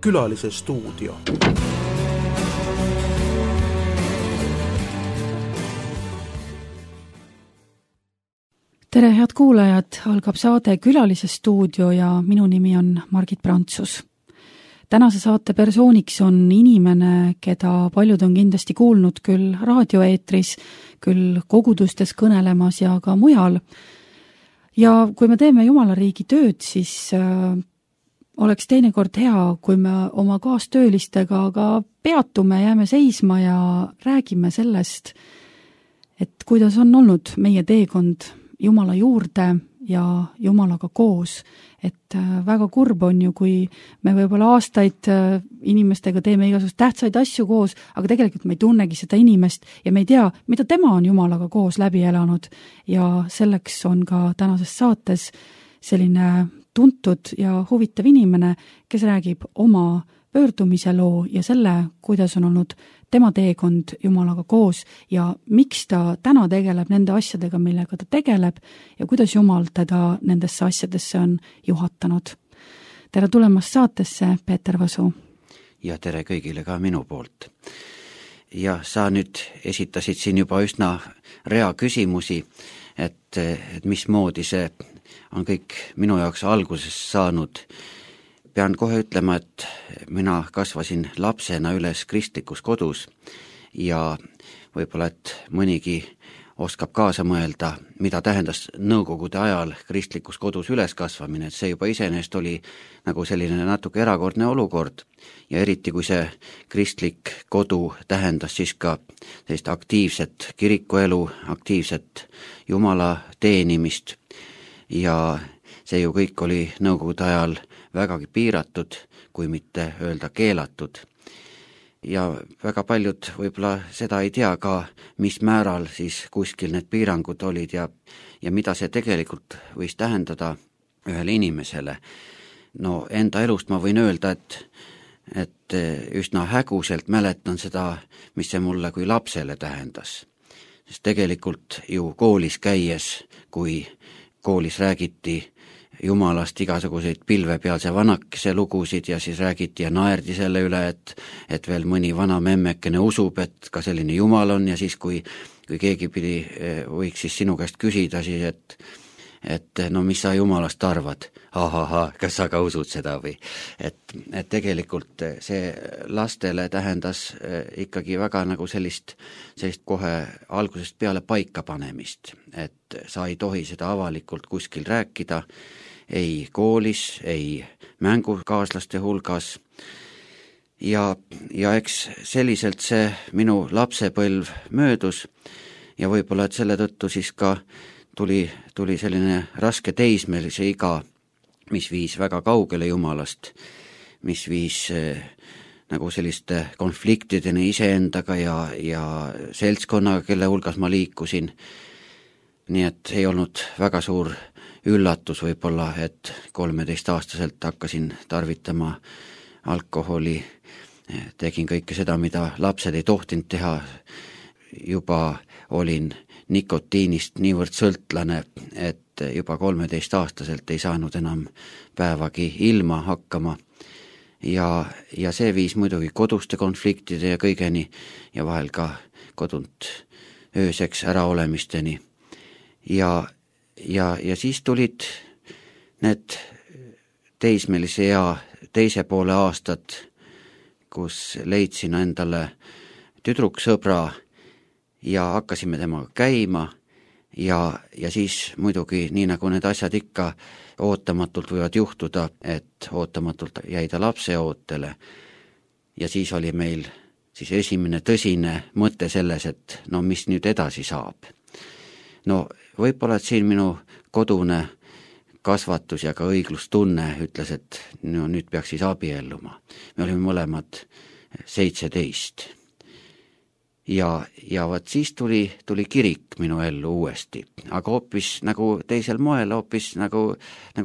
Külalise stuudio. Tere, head kuulajad, algab saade Külalise stuudio ja minu nimi on Margit Prantsus. Tänase saate persooniks on inimene, keda paljud on kindlasti kuulnud küll raadioeetris, küll kogudustes kõnelemas ja ka mujal. Ja kui me teeme Jumala riigi tööd, siis oleks teinekord hea, kui me oma kaastöölistega ka peatume, jääme seisma ja räägime sellest, et kuidas on olnud meie teekond Jumala juurde ja Jumalaga koos. Et väga kurb on ju, kui me võib-olla aastaid inimestega teeme igasugust tähtsaid asju koos, aga tegelikult me ei tunnegi seda inimest ja me ei tea, mida tema on Jumalaga koos läbi elanud. Ja selleks on ka tänases saates selline tuntud ja huvitav inimene, kes räägib oma pöördumise loo ja selle, kuidas on olnud tema teekond Jumalaga koos ja miks ta täna tegeleb nende asjadega, millega ta tegeleb ja kuidas Jumal teda nendesse asjadesse on juhatanud. Tere tulemast saatesse, Peeter Vasu. Ja tere kõigile ka minu poolt. Ja sa nüüd esitasid siin juba üsna rea küsimusi, et mismoodi see on kõik minu jaoks alguses saanud. Pean kohe ütlema, et mina kasvasin lapsena üles kristlikus kodus ja võib-olla, et mõnigi oskab kaasa mõelda, mida tähendas nõukogude ajal kristlikus kodus üles kasvamine, et see juba iseenesest oli nagu selline natuke erakordne olukord ja eriti kui see kristlik kodu tähendas siis ka sellist aktiivset kirikuelu, aktiivset Jumala teenimist ja see ju kõik oli nõukogude ajal vägagi piiratud, kui mitte öelda keelatud. Ja väga paljud võib-olla seda ei tea ka, mis määral siis kuskil need piirangud olid ja mida see tegelikult võis tähendada ühele inimesele. No enda elust ma võin öelda, et üsna häguselt mäletan seda, mis see mulle kui lapsele tähendas. Sest tegelikult ju koolis käies, kui koolis räägiti Jumalast igasuguseid pilvepealse vanakese lugusid ja siis räägiti ja naerdi selle üle, et veel mõni vana memmekene usub, et ka selline Jumal on ja siis kui keegi võiks siis sinu käest küsida siis, et no mis sa Jumalast arvad? Kas sa ka usud seda või? Et tegelikult see lastele tähendas ikkagi väga nagu sellist kohe algusest peale paika panemist, et sa ei tohi seda avalikult kuskil rääkida, ei koolis, ei mängukaaslaste hulgas ja eks selliselt see minu lapsepõlv möödus ja võib-olla, et selle tõttu siis ka tuli selline raske teismelise iga, mis viis väga kaugele Jumalast, mis viis nagu selliste konfliktideni iseendaga ja seltskonnaga, kelle hulgas ma liikusin. Nii et ei olnud väga suur üllatus võib-olla, et 13-aastaselt hakkasin tarvitama alkoholi, tegin kõike seda, mida lapsed ei tohtinud teha, juba olin nikotiinist niivõrd sõltlane, et juba 13-aastaselt ei saanud enam päevagi ilma hakkama ja see viis muidugi koduste konfliktide ja kõigeni ja vahel ka kodunt ööseks äraolemisteni ja siis tulid need teismelise ea teise poole aastad, kus leidsin endale tüdruksõbra ja hakkasime temaga käima ja siis muidugi, nii nagu need asjad ikka ootamatult võivad juhtuda, et ootamatult jäi ta lapse ootele ja siis oli meil siis esimene tõsine mõte selles, et no mis nüüd edasi saab. No võib-olla, et siin minu kodune kasvatus ja ka õiglustunne ütles, et no nüüd peaks siis abielluma. Me olime mõlemad 17. Ja vaat siis tuli kirik minu ellu uuesti, aga hoopis nagu teisel moel, hoopis nagu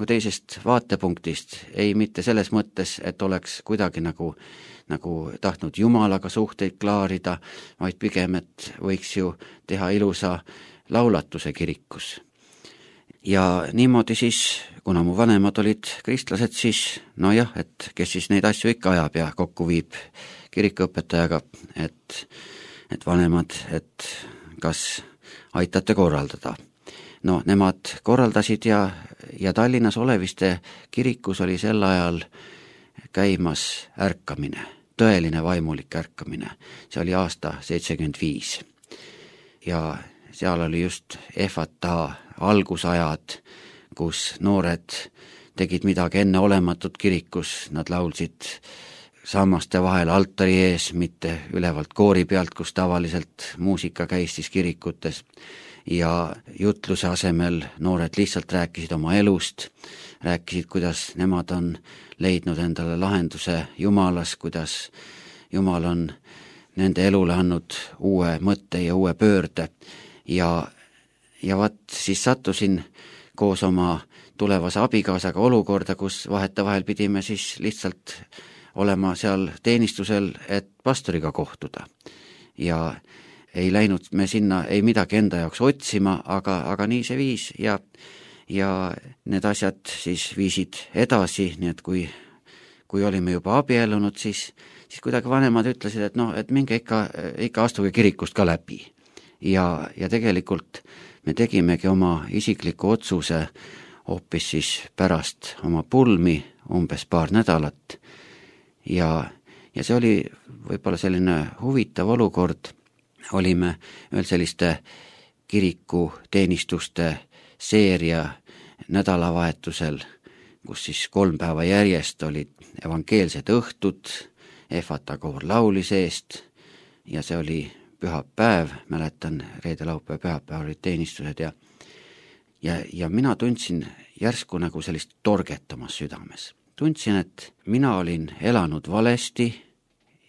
teisest vaatepunktist, ei mitte selles mõttes, et oleks kuidagi nagu tahtnud Jumalaga suhteid klaarida, vaid pigem, et võiks ju teha ilusa laulatuse kirikus. Ja niimoodi siis, kuna mu vanemad olid kristlased, siis nojah, et kes siis neid asju ikka ajab ja kokku viib kirikuõpetajaga, et vanemad, et kas aitate korraldada. No nemad korraldasid ja Tallinnas Oleviste kirikus oli sel ajal käimas ärkamine, tõeline vaimulik ärkamine. See oli aasta 75. Ja seal oli just Efata algusajad, kus noored tegid midagi enneolematut kirikus, nad laulsid sammaste vahel altari ees, mitte ülevalt koori pealt, kus tavaliselt muusika käis siis kirikutes. Ja jutluse asemel noored lihtsalt rääkisid oma elust, rääkisid, kuidas nemad on leidnud endale lahenduse Jumalas, kuidas Jumal on nende elule andnud uue mõtte ja uue pöörde. Ja vaat siis sattusin koos oma tulevase abikaasaga olukorda, kus vahetevahel pidime siis lihtsalt olema seal teenistusel, et pastoriga kohtuda. Ja ei läinud me sinna ei midagi enda jaoks otsima, aga nii see viis ja need asjad siis viisid edasi, nii et kui olime juba abiellunud, siis kuidagi vanemad ütlesid, et et minge ikka astuge kirikust ka läbi. Ja tegelikult me tegimegi oma isikliku otsuse hoopis siis pärast oma pulmi umbes paar nädalat ja see oli võib-olla selline huvitav olukord. Olime ühel selliste kirikuteenistuste seeria nädalavahetusel, kus siis 3 päeva järjest olid evangeelsed õhtud, Efata koor laulis eest ja see oli pühapäev, mäletan, reede, laupäev, pühapäev olid teenistused ja mina tundsin järsku nagu sellist torget omas südames. Tundsin, et mina olin elanud valesti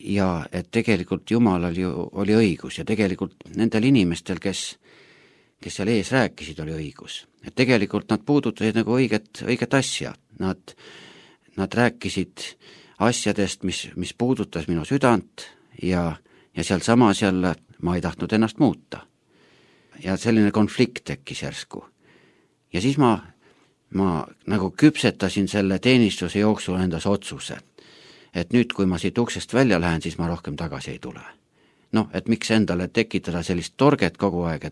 ja et tegelikult Jumalal ju oli õigus ja tegelikult nendel inimestel, kes seal ees rääkisid, oli õigus. Et tegelikult nad puudutasid nagu õiget asja. Nad rääkisid asjadest, mis puudutas minu südant ja seal samas jälle ma ei tahtnud ennast muuta. Ja selline konflikt tekkis järsku. Ja siis ma nagu küpsetasin selle teenistuse jooksul endas otsuse, et nüüd, kui ma siit uksest välja lähen, siis ma rohkem tagasi ei tule. Et miks endale tekitada sellist torget kogu aeg,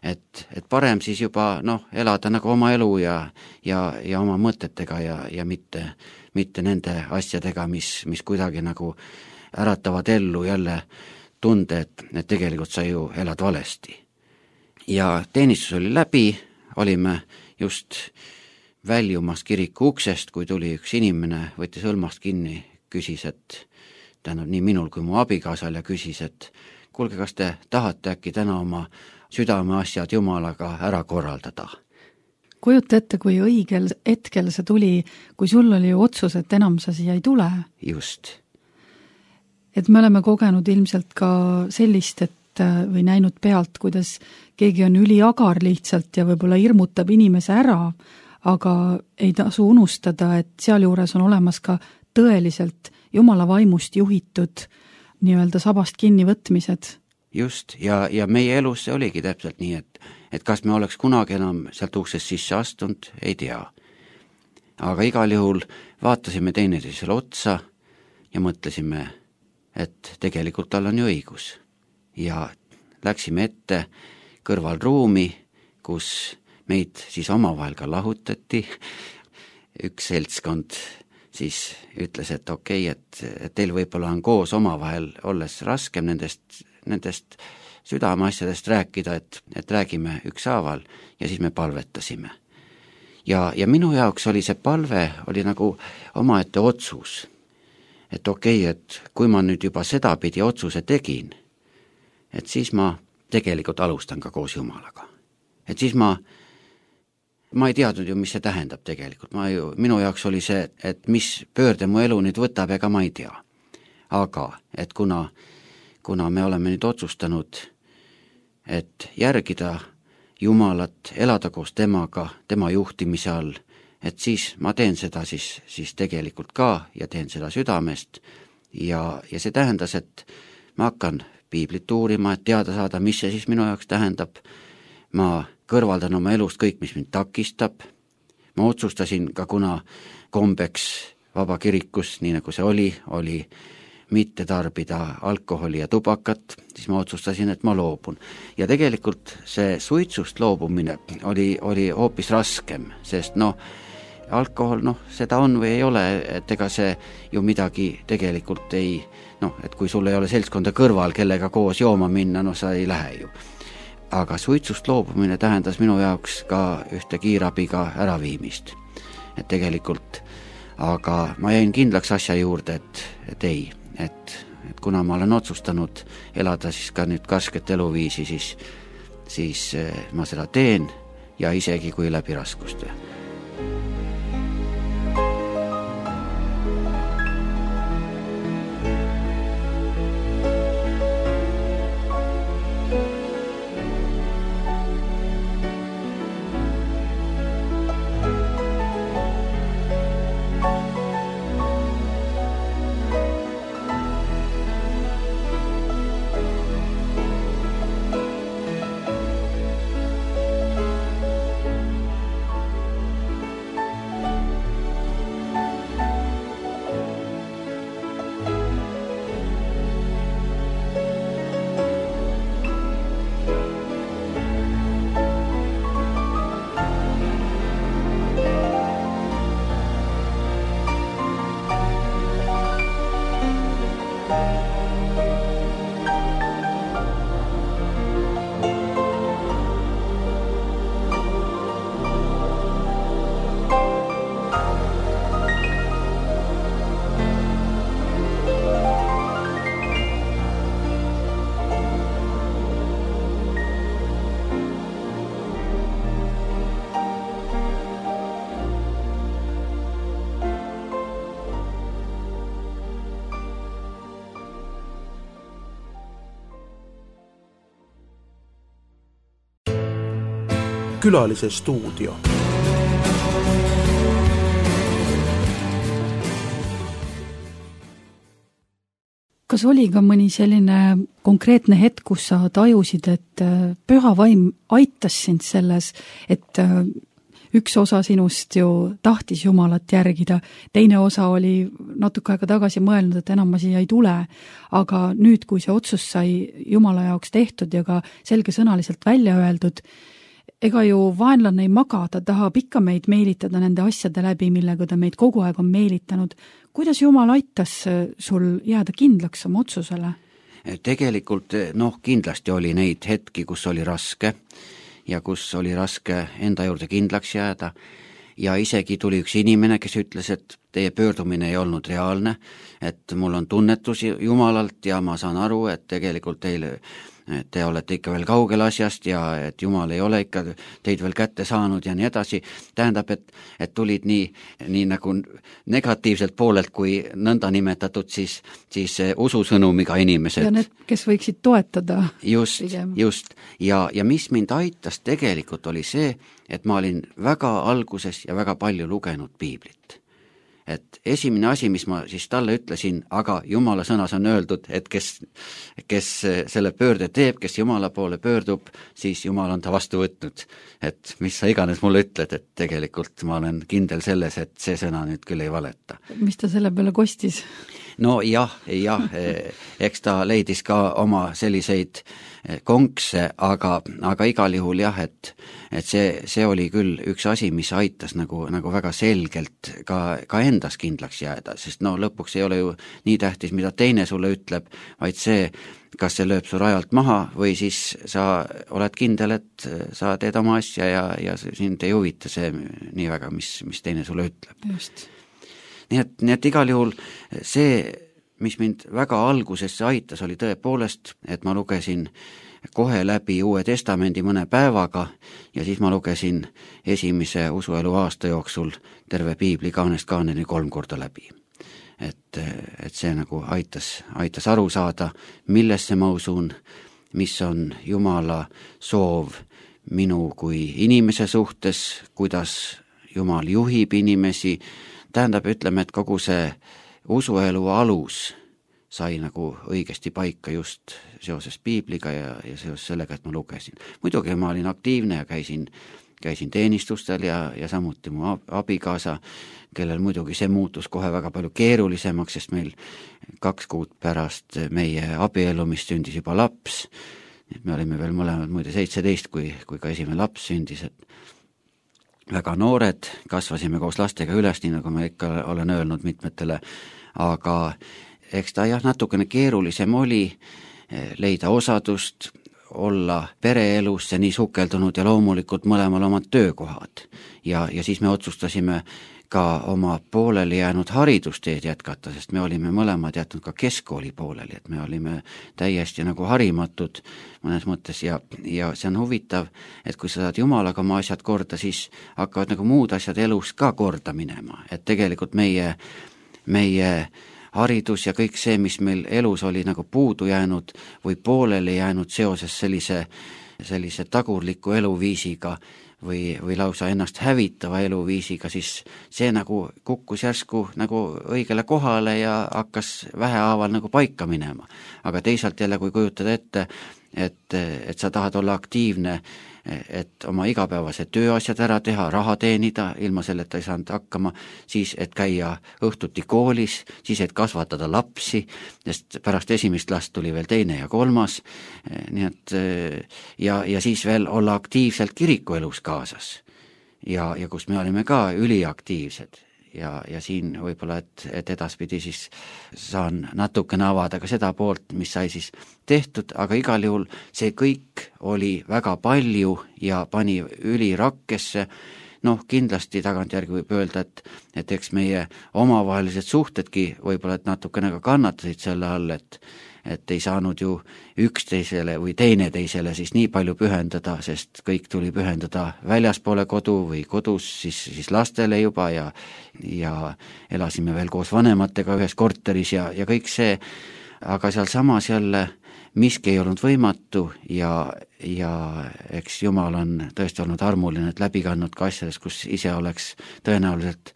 et parem siis juba elada nagu oma elu ja oma mõtetega ja mitte nende asjadega, mis kuidagi nagu äratavad ellu jälle tunde, et tegelikult sa ju elad valesti. Ja teenistus oli läbi, olime just väljumas kiriku uksest, kui tuli üks inimene, võttis hõlmast kinni, küsis, et nii minul kui mu abikaasal ja küsis, et kuulge, kas te tahate äkki täna oma südameasjad Jumalaga ära korraldada? Kujuta ette, kui õigel hetkel see tuli, kui sul oli ju otsus, et enam sa siia ei tule. Just. Et me oleme kogenud ilmselt ka sellist, või näinud pealt, kuidas keegi on üliagar lihtsalt ja võib-olla hirmutab inimese ära, aga ei tasu unustada, et sealjuures on olemas ka tõeliselt Jumala vaimust juhitud nii-öelda sabast kinnivõtmised. Just, ja meie elus see oligi täpselt nii, et kas me oleks kunagi enam sealt uksest sisse astunud, ei tea. Aga igal juhul vaatasime teineteisele otsa ja mõtlesime, et tegelikult tal on ju õigus. Ja läksime ette kõrvalruumi, kus meid siis omavahel ka lahutati. Üks seltskond siis ütles, et okei, et teil võib-olla on koos omavahel olles raskem nendest südameasjadest rääkida, et räägime ükshaaval ja siis me palvetasime. Ja minu jaoks oli see palve oli nagu omaette otsus, et okei, et kui ma nüüd juba sedapidi otsuse tegin, et siis ma tegelikult alustan ka koos Jumalaga. Et siis ma ei teadnud ju, mis see tähendab tegelikult. Minu jaoks oli see, et mis pöörde mu elu nüüd võtab, ega ma ei tea. Aga, et kuna me oleme nüüd otsustanud, et järgida Jumalat, elada koos temaga, tema juhtimise all, et siis ma teen seda siis tegelikult ka ja teen seda südamest ja see tähendas, et ma hakkan piiblit uurima, et teada saada, mis see siis minu jaoks tähendab. Ma kõrvaldan oma elust kõik, mis mind takistab. Ma otsustasin ka, kuna kombeks vaba kirikus, nii nagu see oli mitte tarbida alkoholi ja tubakat, siis ma otsustasin, et ma loobun. Ja tegelikult see suitsust loobumine oli hoopis raskem, sest alkohol, seda on või ei ole, et ega see ju midagi tegelikult ei, et kui sul ei ole seltskonda kõrval, kellega koos jooma minna, sa ei lähe ju. Aga suitsust loobumine tähendas minu jaoks ka ühte kiirabiga äraviimist. Et tegelikult, aga ma jäin kindlaks asja juurde, et ei, et kuna ma olen otsustanud elada siis ka nüüd karsket eluviisi, siis ma seda teen ja isegi kui läbi raskuste. Külalise stuudio. Kas oli ka mõni selline konkreetne hetk, kus sa tajusid, et püha vaim aitas sind selles, et üks osa sinust ju tahtis Jumalat järgida, teine osa oli natuke aega tagasi mõelnud, et enam ma siia ei tule, aga nüüd, kui see otsus sai Jumala jaoks tehtud ja ka selgesõnaliselt välja öeldud, ega ju vaenlane ei maga, ta tahab ikka meid meelitada nende asjade läbi, millega ta meid kogu aeg on meelitanud. Kuidas Jumal aitas sul jääda kindlaks oma otsusele? Tegelikult kindlasti oli neid hetki, kus oli raske ja kus oli raske enda juurde kindlaks jääda ja isegi tuli üks inimene, kes ütles, et teie pöördumine ei olnud reaalne, et mul on tunnetus Jumalalt ja ma saan aru, et tegelikult te olete ikka veel kaugel asjast ja et Jumal ei ole ikka teid veel kätte saanud ja nii edasi. Tähendab, et tulid nii nagu negatiivselt poolelt kui nõnda nimetatud siis ususõnumiga inimesed. Ja need, kes võiksid toetada. Just. Ja mis mind aitas tegelikult oli see, et ma olin väga alguses ja väga palju lugenud piiblit. Et esimene asi, mis ma siis talle ütlesin, aga Jumala sõnas on öeldud, et kes selle pöörde teeb, kes Jumala poole pöördub, siis Jumal on ta vastu võtnud. Et mis sa iganes mulle ütled, et tegelikult ma olen kindel selles, et see sõna nüüd küll ei valeta. Mis ta selle peale kostis? No jah, eks ta leidis ka oma selliseid konkse, aga igal juhul jah, et see oli küll üks asi, mis aitas nagu väga selgelt ka endas kindlaks jääda, sest lõpuks ei ole ju nii tähtis, mida teine sulle ütleb, vaid see, kas see lööb su rajalt maha või siis sa oled kindel, et sa teed oma asja ja sind ei huvita see nii väga, mis teine sulle ütleb. Just. Nii et igal juhul see, mis mind väga algusesse aitas, oli tõepoolest, et ma lugesin kohe läbi Uue Testamendi mõne päevaga ja siis ma lugesin esimese usuelu aasta jooksul terve piibli kaanest kaaneni 3 korda läbi. Et see nagu aitas aru saada, millesse ma usun, mis on Jumala soov minu kui inimese suhtes, kuidas Jumal juhib inimesi. Tähendab, ütleme, et kogu see usuelu alus sai nagu õigesti paika just seoses piibliga ja seoses sellega, et ma lugesin. Muidugi ma olin aktiivne ja käisin teenistustel ja samuti mu abikaasa, kellel muidugi see muutus kohe väga palju keerulisemaks, sest meil 2 kuud pärast meie abiellumist sündis juba laps. Me olime veel mõlemad muide 17, kui ka esimene laps sündis, et väga noored, kasvasime koos lastega üles, nii nagu ma ikka olen öelnud mitmetele, aga eks ta jah, natukene keerulisem oli leida osadust, olla pereelusse nii sukeldunud ja loomulikult mõlemal omad töökohad. Ja siis me otsustasime ka oma pooleli jäänud haridusteed jätkata, sest me olime mõlemad jätnud ka keskkooli pooleli, et me olime täiesti nagu harimatud mõnes mõttes ja see on huvitav, et kui sa saad Jumalaga oma asjad korda, siis hakkavad nagu muud asjad elus ka korda minema, et tegelikult meie haridus ja kõik see, mis meil elus oli nagu puudu jäänud või pooleli jäänud seoses sellise tagurliku eluviisiga või lausa ennast hävitava eluviisiga, siis see nagu kukkus järsku nagu õigele kohale ja hakkas vähehaaval nagu paika minema. Aga teisalt jälle, kui kujutada ette, et sa tahad olla aktiivne, et oma igapäevase tööasjad ära teha, raha teenida, ilma selleta ei saanud hakkama, siis et käia õhtuti koolis, siis et kasvatada lapsi, sest pärast esimest last tuli veel 2. ja 3. Nii et ja siis veel olla aktiivselt kirikuelus kaasas ja kus me olime ka üliaktiivsed. Ja siin võib-olla, et edaspidi siis saan natukene avada ka seda poolt, mis sai siis tehtud, aga igal juhul see kõik oli väga palju ja pani ülirakkesse. Kindlasti tagantjärgi võib öelda, et eks meie omavahelised suhtedki võib-olla, et natukene ka kannatasid selle all, et ei saanud ju üksteisele või teineteisele siis nii palju pühendada, sest kõik tuli pühendada väljaspoole kodu või kodus siis lastele juba ja elasime veel koos vanematega ühes korteris ja kõik see, aga seal samas jälle miski ei olnud võimatu ja eks Jumal on tõesti olnud armuline, et läbi kandnud ka asjades, kus ise tõenäoliselt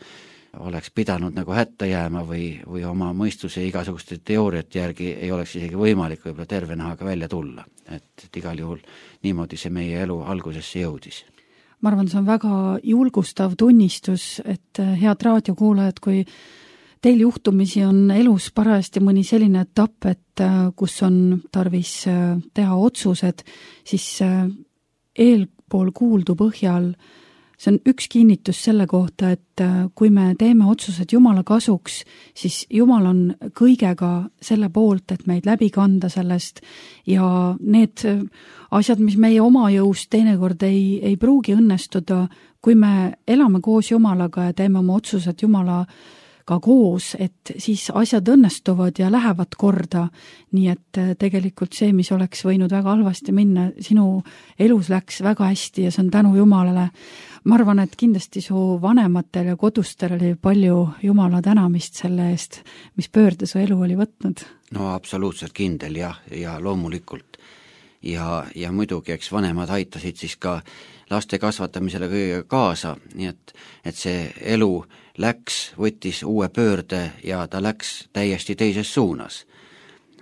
oleks pidanud nagu hätta jääma või oma mõistuse ja igasuguste teooriate järgi ei oleks isegi võimalik võib-olla terve nahaga välja tulla. Et igal juhul niimoodi see meie elu algusesse jõudis. Ma arvan, see on väga julgustav tunnistus, et head raadiokuulajad, kui teil juhtumisi on elus parajasti mõni selline etapp, et kus on tarvis teha otsused, siis eelpool kuuldu põhjal see on üks kinnitus selle kohta, et kui me teeme otsused Jumala kasuks, siis Jumal on kõigega selle poolt, et meid läbi kanda sellest ja need asjad, mis meie oma jõust teinekord ei pruugi õnnestuda, kui me elame koos Jumalaga ja teeme oma otsused Jumalaga koos, et siis asjad õnnestuvad ja lähevad korda. Nii et tegelikult see, mis oleks võinud väga halvasti minna, sinu elus läks väga hästi ja see on tänu Jumalale. Ma arvan, et kindlasti su vanematel ja kodustel oli palju Jumala tänamist selle eest, mis pöörde su elu oli võtnud. No absoluutselt kindel ja loomulikult. Ja muidugi, eks vanemad aitasid siis ka laste kasvatamisele kõigega kaasa, nii et see elu võttis uue pöörde ja ta läks täiesti teises suunas.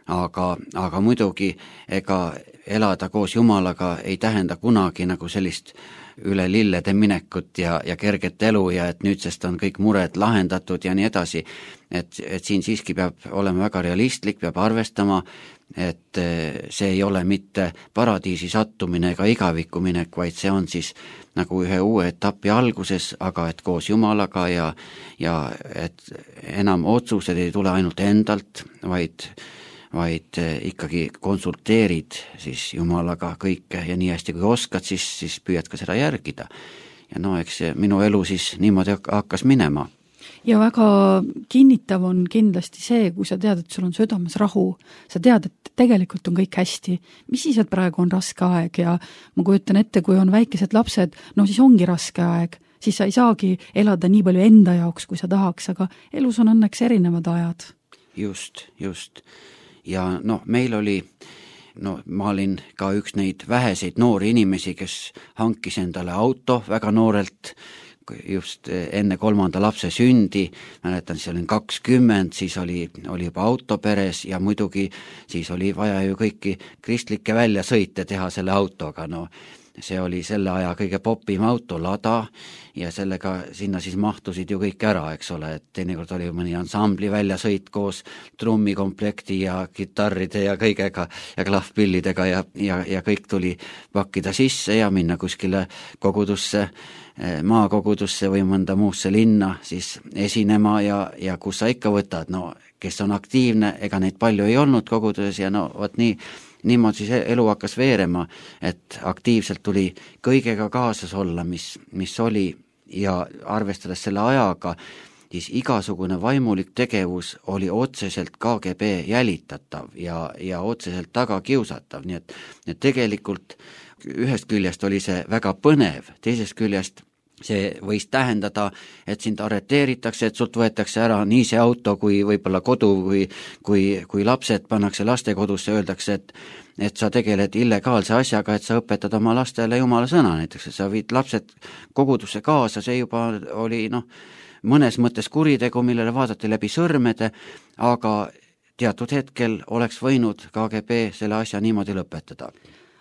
Aga muidugi, ega elada koos Jumalaga ei tähenda kunagi nagu sellist üle lillede minekut ja kerget elu ja et nüüdsest on kõik mured lahendatud ja nii edasi. Et siin siiski peab olema väga realistlik, peab arvestama, et see ei ole mitte paradiisi sattumine ega igavikku minek, vaid see on siis nagu ühe uue etapi alguses, aga et koos Jumalaga ja et enam otsused ei tule ainult endalt, vaid ikkagi konsulteerid siis Jumalaga kõike ja nii hästi kui oskad, siis püüad ka seda järgida. Ja eks minu elu siis niimoodi hakkas minema. Ja väga kinnitav on kindlasti see, kui sa tead, et sul on südames rahu, sa tead, et tegelikult on kõik hästi, mis siis, et praegu on raske aeg ja ma kujutan ette, kui on väikesed lapsed, siis ongi raske aeg, siis sa ei saagi elada nii palju enda jaoks, kui sa tahaks, aga elus on õnneks erinevad ajad. Just. Ja meil oli, ma olin ka üks neid väheseid noori inimesi, kes hankis endale auto väga noorelt, just enne 3. lapse sündi, mäletan, siis olin 20, siis oli juba auto peres ja muidugi siis oli vaja ju kõiki kristlikke väljasõite teha selle autoga, no see oli selle aja kõige popim auto, Lada, ja sellega sinna siis mahtusid ju kõik ära, eks ole, et teinekord oli mõni ansambli väljasõit koos trummikomplekti ja kitarride ja kõigega ja klahvpillidega ja kõik tuli pakkida sisse ja minna kuskile kogudusse, maakogudusse või mõnda muusse linna siis esinema ja kus sa ikka võtad, no kes on aktiivne, ega neid palju ei olnud koguduses ja no vot niimoodi siis elu hakkas veerema, et aktiivselt tuli kõigega kaasas olla, mis oli ja arvestades selle ajaga, siis igasugune vaimulik tegevus oli otseselt KGB jälitatav ja otseselt tagakiusatav, nii et tegelikult ühest küljest oli see väga põnev, teisest küljest see võis tähendada, et sind arreteeritakse, et sult võetakse ära nii see auto kui võib-olla kodu kui lapsed pannakse lastekodusse, öeldakse, et sa tegeled illegaalse asjaga, et sa õpetad oma lastele jumala sõna näiteks, et sa viid lapsed kogudusse kaasa, see juba oli mõnes mõttes kuritegu, millele vaadati läbi sõrmede, aga teatud hetkel oleks võinud KGB selle asja niimoodi lõpetada.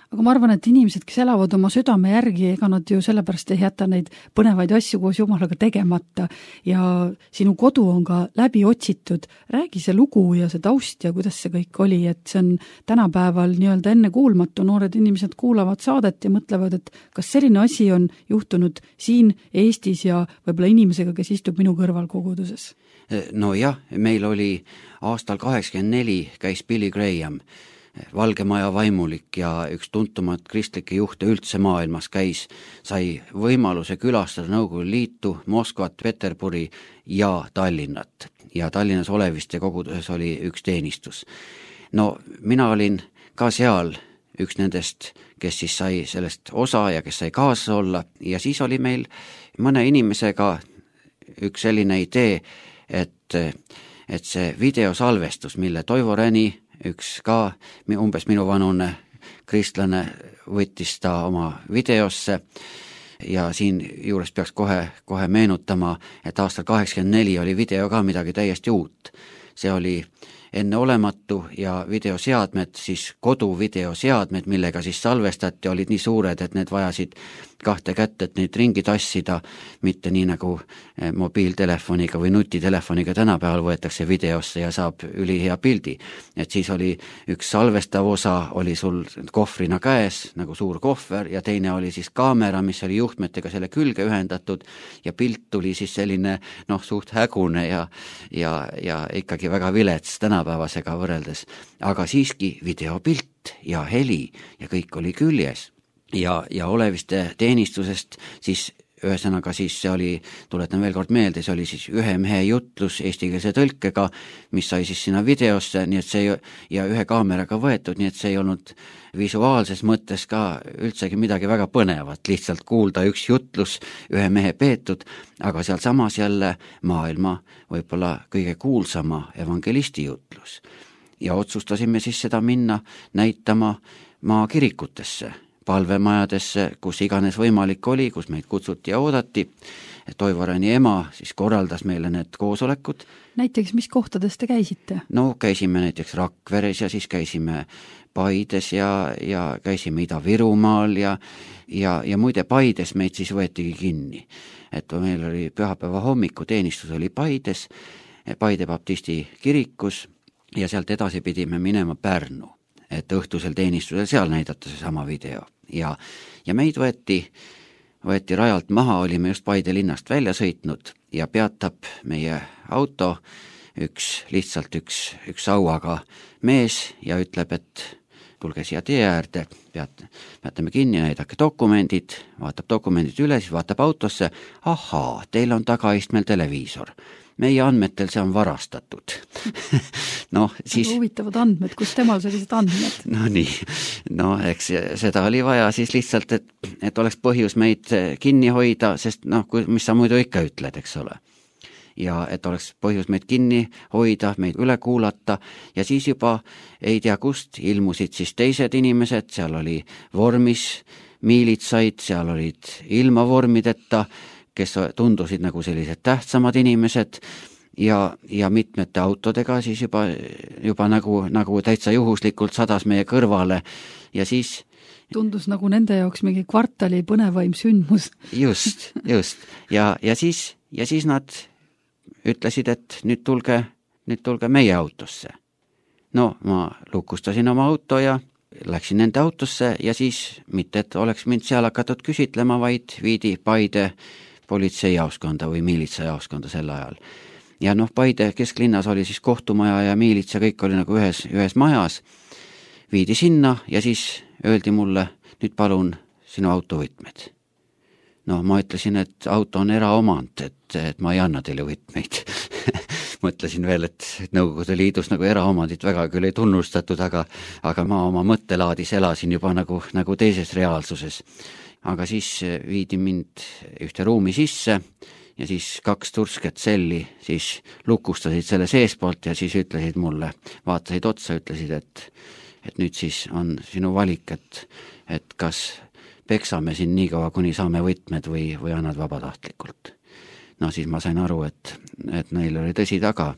Aga ma arvan, et inimesed, kes elavad oma südame järgi, ega nad ju sellepärast ei jäta neid põnevaid asju koos Jumalaga tegemata ja sinu kodu on ka läbi otsitud. Räägi see lugu ja see taust ja kuidas see kõik oli, et see on tänapäeval nii-öelda ennekuulmatu. Noored inimesed kuulavad saadet ja mõtlevad, et kas selline asi on juhtunud siin Eestis ja võib-olla inimesega, kes istub minu kõrval koguduses? No jah, meil oli aastal 84 käis Billy Graham, Valge Maja vaimulik ja üks tuntumat kristlikke juhte üldse maailmas sai võimaluse külastada Nõukogude Liitu, Moskvat, Peterburi ja Tallinnat. Ja Tallinnas Oleviste koguduses oli üks teenistus. No mina olin ka seal üks nendest, kes siis sai sellest osa ja kes sai kaasa olla ja siis oli meil mõne inimesega üks selline idee, et see videosalvestus, mille Toivo Räni, üks ka umbes minu vanune kristlane, võttis ta oma videosse ja siin juures peaks kohe meenutama, et aastal 84 oli video ka midagi täiesti uut. See oli enneolematu ja videoseadmed, siis koduvideoseadmed, millega siis salvestati, olid nii suured, et need vajasid 2 kätt, et neid ringi tassida, mitte nii nagu mobiiltelefoniga või nutitelefoniga tänapäeval võetakse videosse ja saab ülihea pildi. Et siis oli üks salvestav osa, oli sul kohvrina käes, nagu suur kohver, ja teine oli siis kaamera, mis oli juhtmetega selle külge ühendatud ja pilt tuli siis selline suht hägune ja ikkagi väga vilets tänapäevasega võrreldes, aga siiski videopilt ja heli ja kõik oli küljes ja Oleviste teenistusest siis ühesõnaga siis see oli, tuletan veel kord meelde, see oli siis ühe mehe jutlus eestikeelse tõlkega, mis sai siis sinna videosse, nii et see ja ühe kaameraga võetud, nii et see ei olnud visuaalses mõttes ka üldsegi midagi väga põnevat, lihtsalt kuulda üks jutlus, ühe mehe peetud, aga seal samas jälle maailma võib-olla kõige kuulsama evangelisti jutlus. Ja otsustasime siis seda minna näitama maakirikutesse, palvemajadesse, kus iganes võimalik oli, kus meid kutsuti ja oodati. Toivo Räni ema siis korraldas meile need koosolekud. Näiteks, mis kohtades te käisite? No käisime näiteks Rakveres ja siis käisime Paides ja käisime Ida-Virumaal ja muide Paides meid siis võetigi kinni. Et meil oli pühapäeva hommiku teenistus oli Paides, Paide baptisti kirikus ja sealt edasi pidime minema Pärnu, et õhtusel teenistusel seal näidata see sama video. Ja meid võeti rajalt maha, olime just Paide linnast välja sõitnud ja peatab meie auto lihtsalt üks sauaga mees ja ütleb, et tulge siia tee äärde, peatame kinni, näidake dokumendid, vaatab dokumendid üle, siis vaatab autosse, ahaa, teil on tagaistmel televiisor. Meie andmetel see on varastatud. Siis huvitavad andmed, kus temal sellised andmed? Eks seda oli vaja siis lihtsalt, et oleks põhjus meid kinni hoida, sest mis sa muidu ikka ütled, eks ole. Ja et oleks põhjus meid kinni hoida, meid üle kuulata ja siis juba ei tea kust ilmusid siis teised inimesed, seal oli vormis miilitsaid, seal olid ilma vormideta, kes tundusid nagu sellised tähtsamad inimesed ja mitmete autodega siis juba nagu täitsa juhuslikult sadas meie kõrvale ja siis tundus nagu nende jaoks mingi kvartali põnevaim sündmus. Just. Ja siis nad ütlesid, et nüüd tulge meie autosse. No ma lukustasin oma auto ja läksin nende autosse ja siis mitte, et oleks mind seal hakatud küsitlema, vaid viidi Paide politseijaoskonda või miilitsajaoskonda sel ajal. Ja Paide kesklinnas oli siis kohtumaja ja miilitsa, kõik oli nagu ühes majas. Viidi sinna ja siis öeldi mulle, nüüd palun sinu autovõtmed. Ma ütlesin, et auto on eraomand, et ma ei anna teile võtmeid. Mõtlesin veel, et Nõukogude Liidus nagu eraomandit väga küll ei tunnustatud, aga ma oma mõttelaadis elasin juba nagu teises reaalsuses. Aga siis viidi mind ühte ruumi sisse ja siis 2 tursket selli siis lukustasid selle seespoolt ja siis ütlesid mulle, vaatasid otsa, ütlesid, et nüüd siis on sinu valik, et kas peksame siin nii kaua, kuni saame võtmed või annad vabatahtlikult. Siis ma sain aru, et neil oli tõsi taga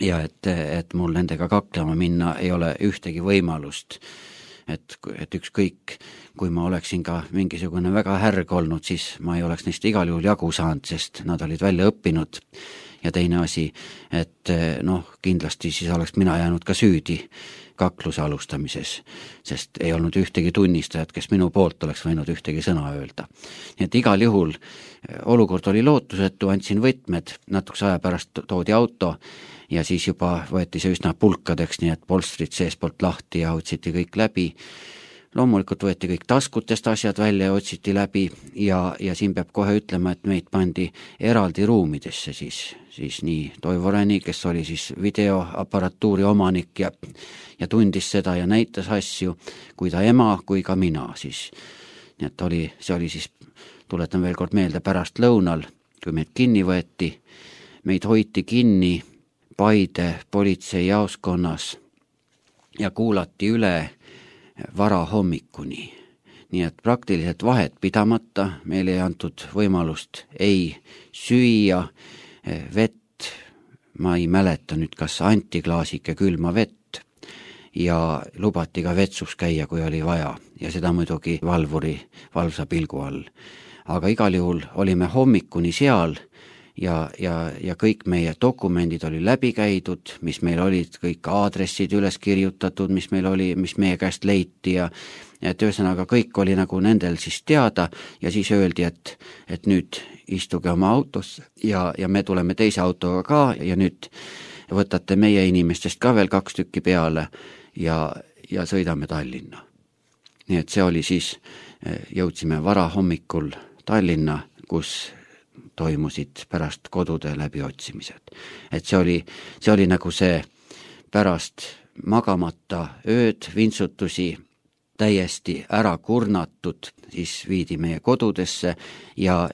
ja et mul nendega kaklema minna ei ole ühtegi võimalust. Et ükskõik, kui ma oleksin ka mingisugune väga härg olnud, siis ma ei oleks neist igal juhul jagu saanud, sest nad olid välja õppinud. Ja teine asi, et kindlasti siis oleks mina jäänud ka süüdi kakluse alustamises, sest ei olnud ühtegi tunnistajat, kes minu poolt oleks võinud ühtegi sõna öelda. Nii et igal juhul olukord oli lootusetu, andsin võtmed, natukese aja pärast toodi auto ja siis juba võeti see üsna pulkadeks, nii et polstrid seespoolt lahti ja otsiti kõik läbi. Loomulikult võeti kõik taskutest asjad välja ja otsiti läbi ja siin peab kohe ütlema, et meid pandi eraldi ruumidesse siis nii Toivo Räni, kes oli siis videoaparatuuri omanik ja tundis seda ja näitas asju, kui ta ema, kui ka mina siis. Nii et see oli siis, tuletan veel kord meelde, pärast lõunal, kui meid kinni võeti, meid hoiti kinni Paide politseijaoskonnas ja kuulati üle varahommikuni. Nii et praktiliselt vahet pidamata meil ei antud võimalust ei süüa, vett, ma ei mäleta nüüd, kas anti klaasike külma vett ja lubati ka vetsus käia, kui oli vaja ja seda muidugi valvuri valvsa pilgu all. Aga igal juhul olime hommikuni seal ja kõik meie dokumendid oli läbi käidud, mis meil olid, kõik aadressid üles kirjutatud, mis meie käest leiti ja et ühesõnaga kõik oli nagu nendel siis teada ja siis öeldi, et nüüd istuge oma autosse ja me tuleme teise autoga ka ja nüüd võtate meie inimestest ka veel 2 tükki peale ja sõidame Tallinna. Nii et see oli siis, jõudsime varahommikul Tallinna, kus toimusid pärast kodude läbiotsimised. Et see oli nagu see pärast magamata ööd, vintsutusi, täiesti ära kurnatud, siis viidi meie kodudesse ja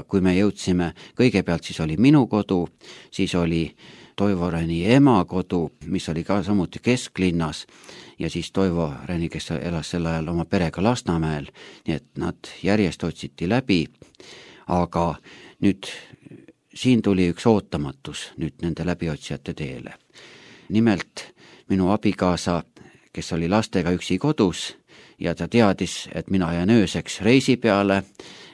kui me jõudsime, kõigepealt siis oli minu kodu, siis oli Toivo Räni ema kodu, mis oli ka samuti kesklinnas ja siis Toivo Räni, kes elas sel ajal oma perega Lasnamäel, nii et nad järjest otsiti läbi, aga nüüd siin tuli üks ootamatus nüüd nende läbiotsijate teele. Nimelt minu abikaasa, kes oli lastega üksi kodus ja ta teadis, et mina jään ööseks reisi peale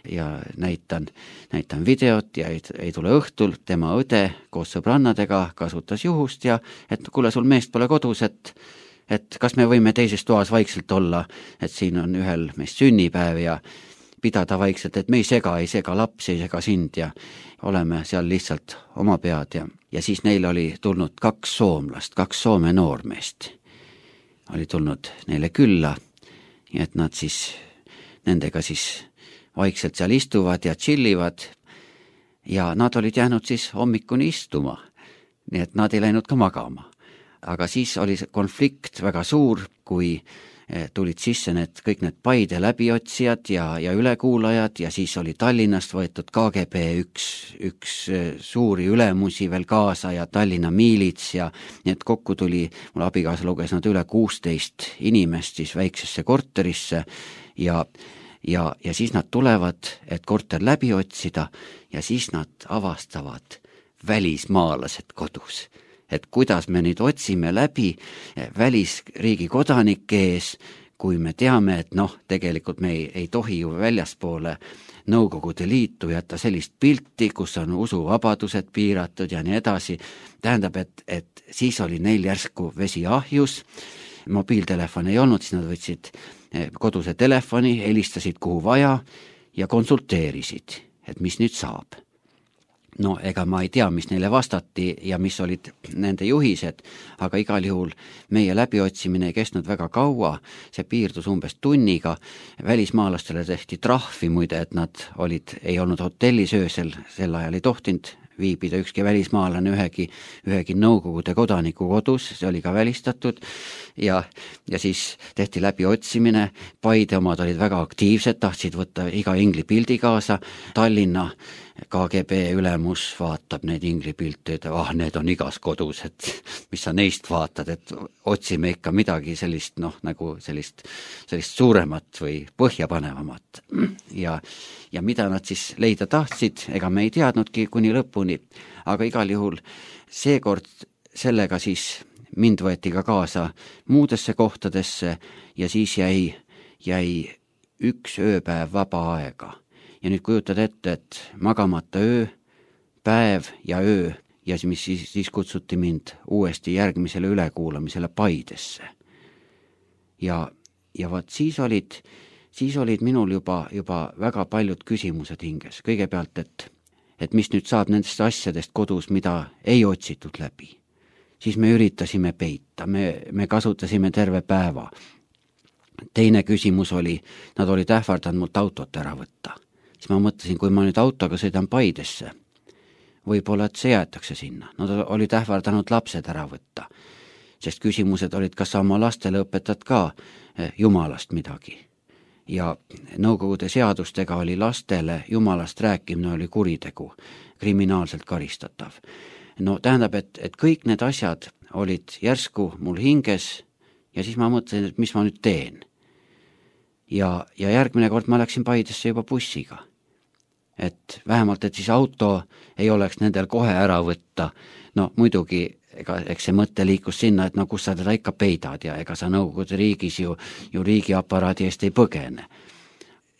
ja näitan videot ja ei tule õhtul, tema õde koos sõbrannadega kasutas juhust ja et kuule, sul meest pole kodus, et kas me võime teises toas vaikselt olla, et siin on ühel meist sünnipäev ja pidada vaikselt, et me ei sega lapsi, ei sega sind ja oleme seal lihtsalt oma pead ja siis neil oli tulnud 2 soomlast, 2 Soome noormeest oli tulnud neile külla ja et nad siis nendega siis vaikselt seal istuvad ja chillivad ja nad olid jäänud siis hommikuni istuma, nii et nad ei läinud ka magama. Aga siis oli konflikt väga suur, kui tulid sisse kõik need Paide läbiotsijad ja ülekuulajad ja siis oli Tallinnast võetud KGB üks suuri ülemusi veel kaasa ja Tallinna miilits ja nii et kokku tuli, mul abikaasa luges nad üle 16 inimest siis väiksesse korterisse ja ja siis nad tulevad, et korter läbi otsida ja siis nad avastavad välismaalased kodus. Et kuidas me nüüd otsime läbi välisriigi kodanike ees, kui me teame, et tegelikult me ei tohi ju väljaspoole Nõukogude Liitu jätta sellist pilti, kus on usuvabadused piiratud ja nii edasi. Tähendab, et siis oli neil järsku vesi ahjus, mobiiltelefon ei olnud, siis nad võtsid koduse telefoni, helistasid kuhu vaja ja konsulteerisid, et mis nüüd saab. No ega ma ei tea, mis neile vastati ja mis olid nende juhised, aga igal juhul meie läbiotsimine ei kestnud väga kaua, see piirdus umbes tunniga, välismaalastele tehti trahvi muide, et nad ei olnud hotellis öösel, sel ajal ei tohtinud viibida ükski välismaalane ühegi Nõukogude kodaniku kodus, see oli ka välistatud ja siis tehti läbiotsimine, Paide omad olid väga aktiivsed, tahtsid võtta iga ingli pildi kaasa, Tallinna KGB ülemus vaatab neid inglipilte, et need on igas kodus, et mis sa neist vaatad, et otsime ikka midagi sellist, nagu sellist suuremat või põhjapanevamat. Ja mida nad siis leida tahtsid, ega me ei teadnudki kuni lõpuni, aga igal juhul seekord sellega siis mind võeti ka kaasa muudesse kohtadesse ja siis jäi üks ööpäev vaba aega. Ja nüüd kujutad ette, et magamata öö, päev ja öö ja mis siis kutsuti mind uuesti järgmisele ülekuulamisele Paidesse. Ja vaat siis olid minul juba väga paljud küsimused hinges. Kõigepealt, et mis nüüd saab nendest asjadest kodus, mida ei otsitud läbi. Siis me üritasime peita, me kasutasime terve päeva. Teine küsimus oli, nad olid ähvardanud mult autot ära võtta. Siis ma mõtlesin, kui ma nüüd autoga sõidan Paidesse, võib-olla, et see jäetakse sinna. Nad olid ähvardanud lapsed ära võtta, sest küsimused olid, kas sa oma lastele õpetad ka Jumalast midagi. Ja Nõukogude seadustega oli lastele Jumalast rääkimine oli kuritegu, kriminaalselt karistatav. No tähendab, et kõik need asjad olid järsku mul hinges ja siis ma mõtlesin, et mis ma nüüd teen. Ja järgmine kord ma läksin Paidesse juba bussiga. Et vähemalt, et siis auto ei oleks nendel kohe ära võtta. No muidugi, eks see mõte liikus sinna, et kus sa teda ikka peidad ja ega sa Nõukogude riigis ju riigiaparaadi eest ei põgene.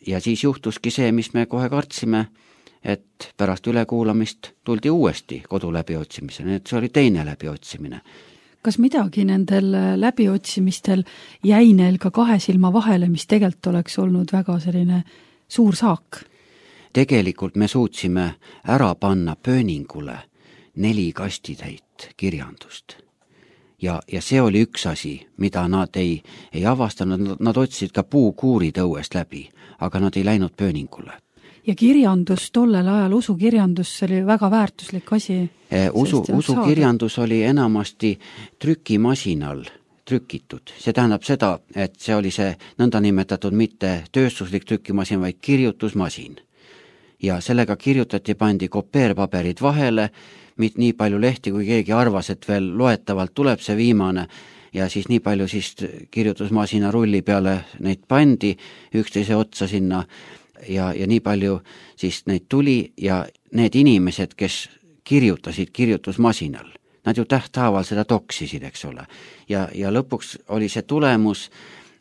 Ja siis juhtuski see, mis me kohe kartsime, et pärast ülekuulamist tuldi uuesti kodu läbiotsimisele, et see oli teine läbiotsimine. Kas midagi nendel läbiotsimistel jäi neil ka kahe silma vahele, mis tegelikult oleks olnud väga selline suur saak? Tegelikult me suutsime ära panna pööningule 4 kastitäit kirjandust. Ja see oli üks asi, mida nad ei avastanud, nad otsisid ka puukuurid õuest läbi, aga nad ei läinud pööningule. Ja kirjandus tollel ajal, usukirjandus oli väga väärtuslik asi. Usukirjandus oli enamasti trükimasinal trükitud. See tähendab seda, et see oli see nõndanimetatud mitte tööstuslik trükimasin, vaid kirjutusmasin. Ja sellega kirjutati, pandi kopeerpaberid vahele, nii palju lehti, kui keegi arvas, et veel loetavalt tuleb see viimane ja siis nii palju siis kirjutusmasina rulli peale neid pandi üksteise otsa sinna ja nii palju siis neid tuli ja need inimesed, kes kirjutasid kirjutusmasinal, nad ju tähthaaval seda toksisid, eks ole. Ja lõpuks oli see tulemus,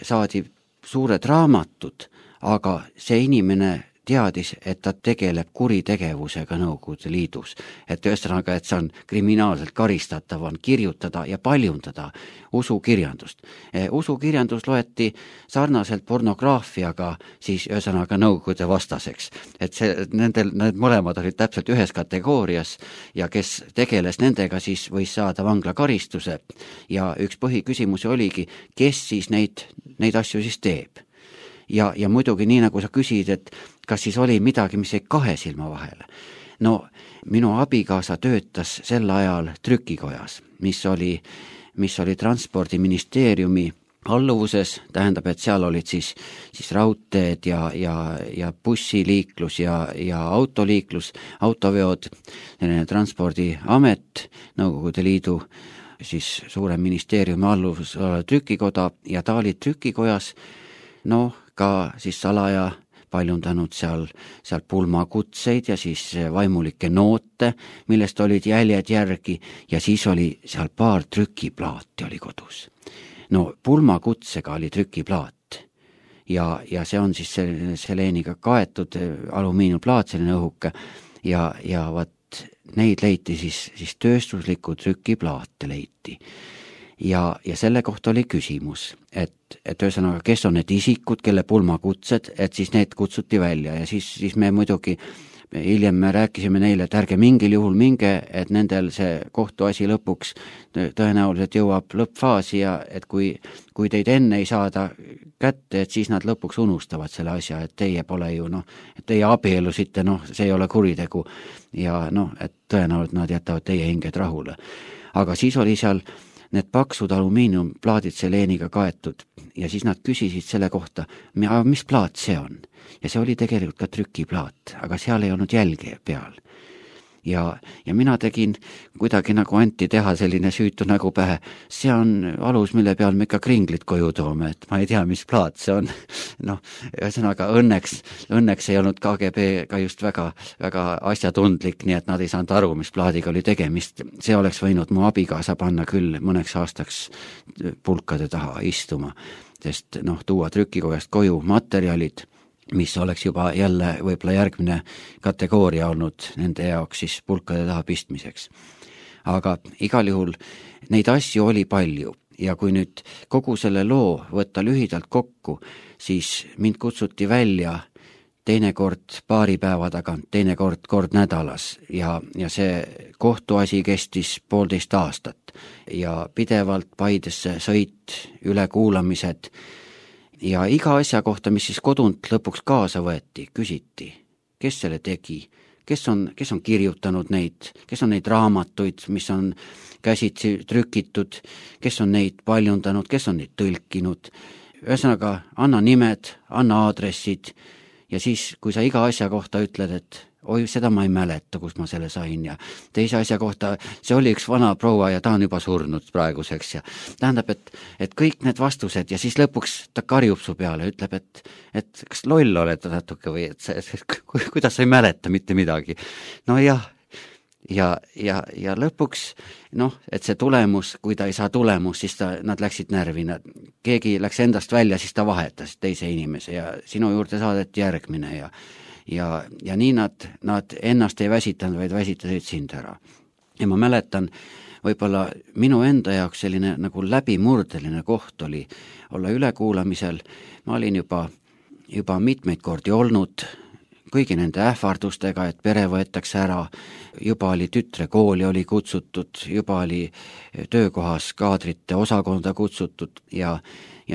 saadi suured raamatud, aga see inimene teadis, et ta tegeleb kuritegevusega Nõukogude Liidus. Et ühesõnaga, et see on kriminaalselt karistatav, on kirjutada ja paljundada usukirjandust. Usukirjandus loeti sarnaselt pornograafiaga siis ühesõnaga Nõukogude vastaseks. Et need mõlemad olid täpselt ühes kategoorias ja kes tegeles nendega, siis võis saada vanglakaristuse. Ja üks põhiküsimus oligi, kes siis neid asju siis teeb. Ja muidugi nii, nagu sa küsid, et kas siis oli midagi, mis jäi kahe silma vahele. No minu abikaasa töötas sel ajal trükikojas, mis oli Transpordiministeeriumi alluvuses, tähendab, et seal olid siis raudteed ja bussiliiklus ja autoliiklus, autoveod, Transpordiamet, Nõukogude Liidu siis suure ministeeriumi alluvus trükikoda ja ta oli trükikojas, ka siis salaja paljundanud seal pulmakutseid ja siis vaimulikke noote, millest olid jäljed järgi ja siis oli seal paar trükiplaati oli kodus. No pulmakutsega oli trükiplaat ja see on siis seleeniga kaetud alumiiniumplaat, selline õhuke ja vaat neid leiti siis tööstuslikku trükiplaate leiti. Ja selle kohta oli küsimus, et ühesõnaga, kes on need isikud, kelle pulmakutsed, et siis need kutsuti välja ja siis me muidugi hiljem me rääkisime neile, et ärge mingil juhul minge, et nendel see kohtuasi lõpuks tõenäoliselt jõuab lõppfaasi ja et kui teid enne ei saada kätte, et siis nad lõpuks unustavad selle asja, et teie pole ju et teie abielusite, see ei ole kuritegu ja et tõenäoliselt nad jätavad teie hinged rahule. Aga siis oli seal need paksud alumiiniumplaadid seleeniga kaetud ja siis nad küsisid selle kohta, mis plaat see on. Ja see oli tegelikult ka trükiplaat, aga seal ei olnud jälge peal. Ja mina tegin kuidagi nagu anti teha selline süütu nägu pähe. See on alus, mille peal me ikka kringlid koju toome, et ma ei tea, mis plaat see on. Ühesõnaga õnneks ei olnud KGB ka just väga asjatundlik, nii et nad ei saanud aru, mis plaadiga oli tegemist. See oleks võinud mu abikaasa panna küll mõneks aastaks pulkade taha istuma, sest tuua trükikojast koju materjalid, mis oleks juba jälle võib-olla järgmine kategooria olnud nende jaoks siis pulkade taha pistmiseks. Aga igal juhul neid asju oli palju ja kui nüüd kogu selle loo võtta lühidalt kokku, siis mind kutsuti välja teinekord paari päeva tagant, teinekord kord nädalas ja see kohtuasi kestis 1,5 aastat ja pidevalt Paidesse sõit, ülekuulamised ja iga asja kohta, mis siis kodunt lõpuks kaasa võeti, küsiti, kes selle tegi, kes on kirjutanud neid, kes on neid raamatuid, mis on käsitsi trükitud, kes on neid paljundanud, kes on neid tõlkinud. Ühesõnaga, anna nimed, anna aadressid ja siis, kui sa iga asja kohta ütled, et oi, seda ma ei mäleta, kus ma selle sain ja teise asja kohta, see oli üks vana proua ja ta on juba surnud praeguseks ja tähendab, et kõik need vastused ja siis lõpuks ta karjub su peale, ütleb, et kas loll oled natuke või kuidas sa ei mäleta mitte midagi. No jah, ja lõpuks, et see tulemus, kui ta ei saa tulemus, siis nad läksid närvi, keegi läks endast välja, siis ta vahetas teise inimese ja sinu juurde saadeti järgmine ja nii nad ennast ei väsitanud, vaid väsitasid sind ära. Ja ma mäletan, võib-olla minu enda jaoks selline nagu läbimurdeline koht oli olla ülekuulamisel. Ma olin juba mitmeid kordi olnud kõigi nende ähvardustega, et pere võetakse ära, juba oli tütre kooli oli kutsutud, juba oli töökohas kaadrite osakonda kutsutud ja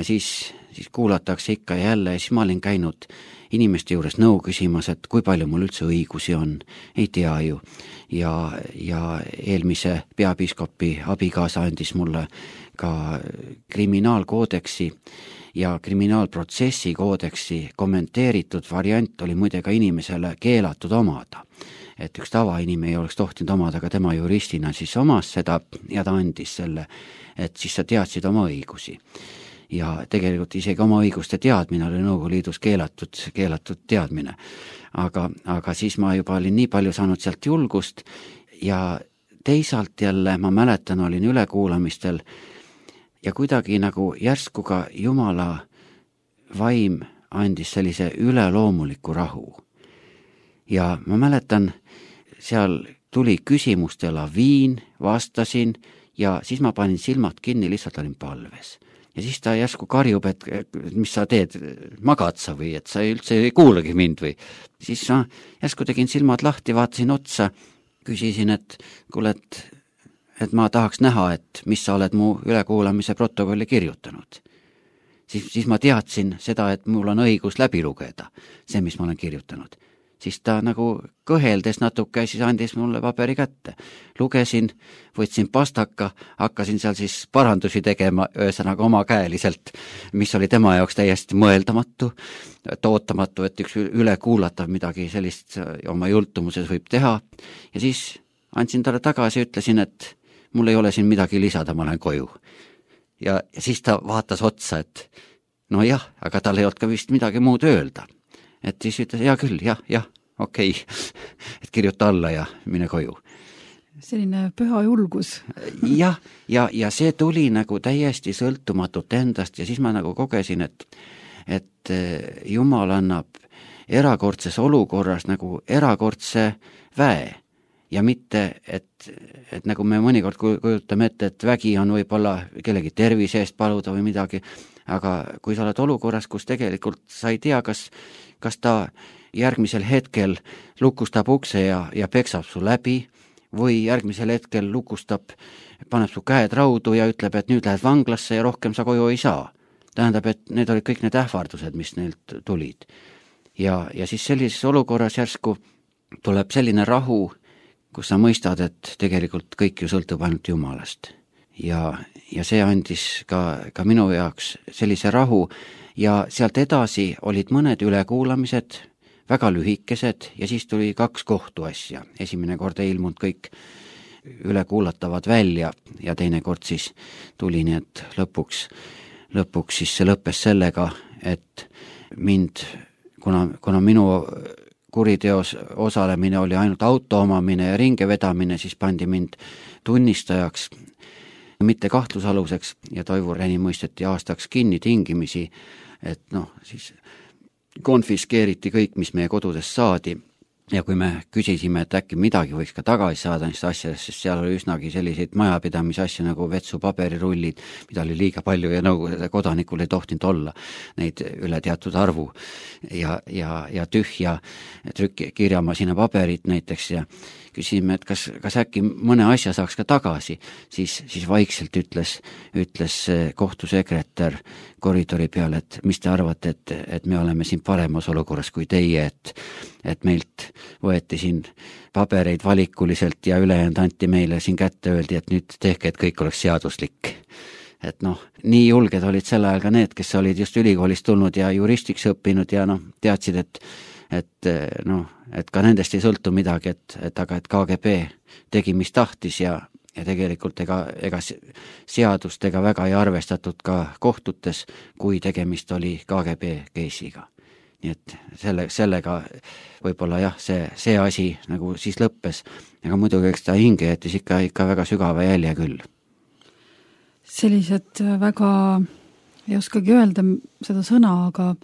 siis kuulatakse ikka ja jälle ja siis ma olin käinud inimeste juures nõu küsimas, et kui palju mul üldse õigusi on, ei tea ju. Ja eelmise peapiiskopi abikaasa andis mulle ka kriminaalkoodeksi ja kriminaalprotsessi koodeksi kommenteeritud variant oli muide ka inimesele keelatud omada. Et üks tavainimene ei oleks tohtinud omada, aga tema juristina siis omas seda ja ta andis selle, et siis sa teadsid oma õigusi. Ja tegelikult isegi oma õiguste teadmine oli Nõukogude Liidus keelatud teadmine. Aga siis ma juba olin nii palju saanud sealt julgust ja teisalt jälle ma mäletan, olin ülekuulamistel ja kuidagi nagu järsku ka Jumala vaim andis sellise üleloomuliku rahu. Ja ma mäletan, seal tuli küsimuste laviin, vastasin ja siis ma panin silmad kinni, lihtsalt olin palves. Ja siis ta järsku karjub, et mis sa teed, magad sa või, et sa üldse ei kuulagi mind või. Siis ma järsku tegin silmad lahti, vaatasin otsa, küsisin, et kuule, et ma tahaks näha, et mis sa oled mu ülekuulamise protokolli kirjutanud. Siis ma teadsin seda, et mul on õigus läbi lugeda, see, mis ma olen kirjutanud. Siis ta nagu kõheldes natuke, siis andis mulle paberi kätte. Lugesin, võtsin pastaka, hakkasin seal siis parandusi tegema, ühesõnaga omakäeliselt, mis oli tema jaoks täiesti mõeldamatu, ootamatu, et üks ülekuulatav midagi sellist oma jultumuses võib teha. Ja siis andsin talle tagasi ja ütlesin, et mul ei ole siin midagi lisada, ma lähen koju. Ja siis ta vaatas otsa, et no jah, aga tal ei olnud ka vist midagi muud öelda. et siis ütles, hea küll, jah, okei. Et kirjuta alla ja mine koju. Selline püha julgus. ja see tuli nagu täiesti sõltumatult endast ja siis ma nagu kogesin, et Jumal annab erakordses olukorras nagu erakordse väe ja mitte, et nagu me mõnikord kujutame ette, et vägi on võib-olla kellegi tervise eest paluda või midagi, aga kui sa oled olukorras, kus tegelikult sa ei tea, kas ta järgmisel hetkel lukustab ukse ja peksab su läbi või järgmisel hetkel lukustab, paneb su käed raudu ja ütleb, et nüüd lähed vanglasse ja rohkem sa koju ei saa. Tähendab, et need olid kõik need ähvardused, mis neilt tulid. Ja siis sellises olukorras järsku tuleb selline rahu, kus sa mõistad, et tegelikult kõik ju sõltub ainult Jumalast. Ja see andis ka minu jaoks sellise rahu ja sealt edasi olid mõned ülekuulamised, väga lühikesed ja siis tuli 2 kohtuasja. Esimene kord ei ilmunud kõik ülekuulatavad välja ja teine kord siis tuli nii, et lõpuks siis see lõppes sellega, et mind, kuna minu kuriteos osalemine oli ainult auto omamine ja ringe vedamine, siis pandi mind tunnistajaks, mitte kahtlusaluseks ja Toivo Reni mõisteti aastaks kinni tingimisi, et siis konfiskeeriti kõik, mis meie kodudest saadi ja kui me küsisime, et äkki midagi võiks ka tagasi saada neist asjadest, sest seal oli üsnagi selliseid majapidamise asju nagu vetsupaberirullid, mida oli liiga palju ja Nõukogude kodanikul ei tohtinud olla neid üle teatud arvu ja tühja trükkirjamasina paberit näiteks ja küsisime, et kas äkki mõne asja saaks ka tagasi, siis vaikselt ütles kohtusekretär koridori peal, et mis te arvate, et me oleme siin paremas olukorras kui teie, et meilt võeti siin pabereid valikuliselt ja ülejäänud anti meile siin kätte, öeldi, et nüüd tehke, et kõik oleks seaduslik. Et nii julged olid sel ajal ka need, kes olid just ülikoolist tulnud ja juristiks õppinud ja teadsid, et ka nendest ei sõltu midagi, et KGB tegi, mis tahtis ja tegelikult ega seadust ega väga ei arvestatud ka kohtutes, kui tegemist oli KGB keisiga. Nii et sellega võib-olla jah, see asi nagu siis lõppes, aga muidugi eks ta hinge jättis ikka väga sügava jälje küll. Sellised väga, ei oskagi öelda seda sõna, aga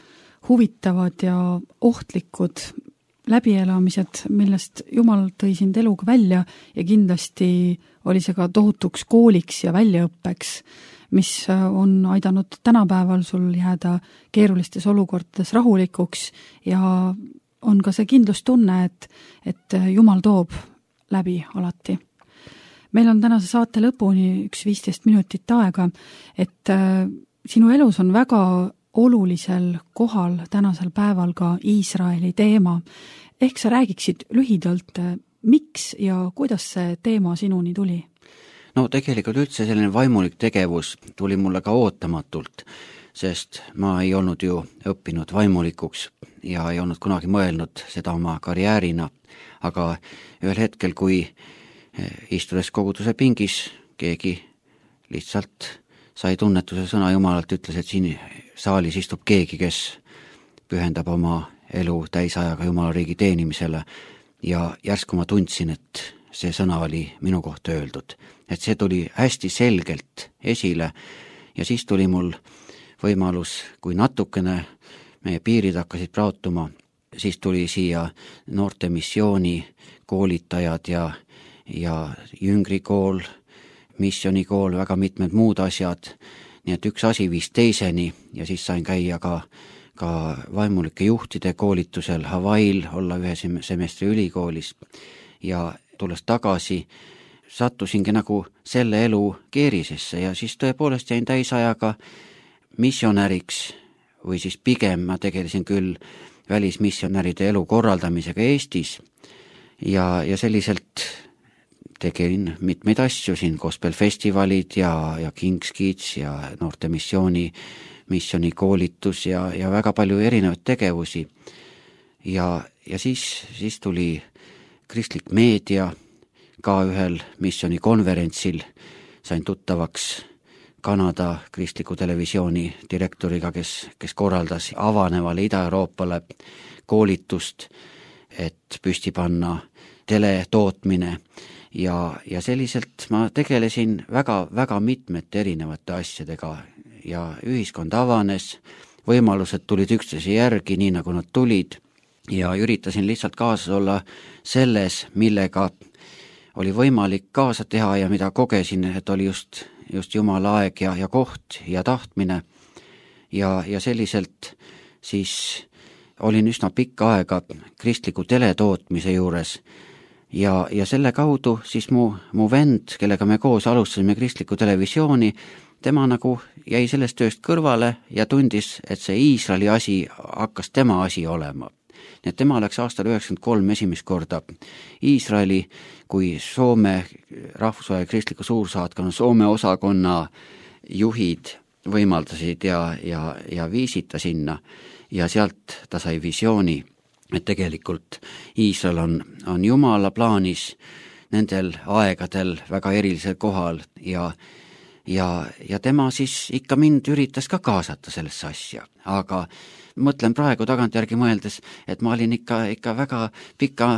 huvitavad ja ohtlikud läbielamised, millest Jumal tõi sind eluga välja ja kindlasti oli see ka tohutuks kooliks ja väljaõppeks, mis on aidanud tänapäeval sul jääda keerulistes olukordades rahulikuks ja on ka see kindlustunne, et Jumal toob läbi alati. Meil on tänase saate lõpuni 15 minutit aega, et sinu elus on väga olulisel kohal tänasel päeval ka Iisraeli teema. Ehk sa räägiksid lühidalt, miks ja kuidas see teema sinuni tuli? Tegelikult üldse selline vaimulik tegevus tuli mulle ka ootamatult, sest ma ei olnud ju õppinud vaimulikuks ja ei olnud kunagi mõelnud seda oma karjäärina, aga ühel hetkel, kui istudes koguduse pingis, keegi lihtsalt sai tunnetuse sõna Jumalalt, ütles, et siin saalis istub keegi, kes pühendab oma elu täisajaga Jumala riigi teenimisele ja järsku ma tundsin, et see sõna oli minu kohta öeldud. Et see tuli hästi selgelt esile ja siis tuli mul võimalus, kui natukene meie piirid hakkasid praotuma, siis tuli siia noorte missiooni koolitajad ja jüngrikool, missionikool, väga mitmed muud asjad, nii et üks asi viis teiseni ja siis sain käia ka vaimulike juhtide koolitusel Hawaii'l, olla 1 semestri ülikoolis ja tulles tagasi, sattusingi nagu selle elu keerisesse ja siis tõepoolest jäin täisajaga missionäriks või siis pigem ma tegelesin küll välismissionäride elu korraldamisega Eestis ja selliselt tegin mitmeid asju siin, gospelfestivalid ja King's Kids ja noorte missionikoolitus ja väga palju erinevaid tegevusi ja siis tuli kristlik meedia ka ühel missionikonverentsil, sain tuttavaks Kanada kristliku televisiooni direktoriga, kes korraldas avanevale Ida-Euroopale koolitust, et püsti panna teletootmine ja selliselt ma tegelesin väga mitmete erinevate asjadega ja ühiskond avanes, võimalused tulid üksteise järgi, nii nagu nad tulid ja üritasin lihtsalt kaasas olla selles, millega oli võimalik kaasa teha ja mida kogesin, et oli just Jumala aeg ja koht ja tahtmine ja selliselt siis olin üsna pikka aega kristliku teletootmise juures ja selle kaudu siis mu vend, kellega me koos alustasime kristlikku televisiooni, tema nagu jäi sellest tööst kõrvale ja tundis, et see Iisraeli asi hakkas tema asi olema. Nii et tema läks aastal 1993 esimest korda Iisraeli, kui Soome rahvusvahelise kristliku suursaatkonna Soome osakonna juhid võimaldasid ja viisid ta sinna ja sealt ta sai visiooni, et tegelikult Iisrael on Jumala plaanis nendel aegadel väga erilisel kohal ja tema siis ikka mind üritas ka kaasata sellesse asja, aga mõtlen praegu tagantjärgi mõeldes, et ma olin ikka väga pika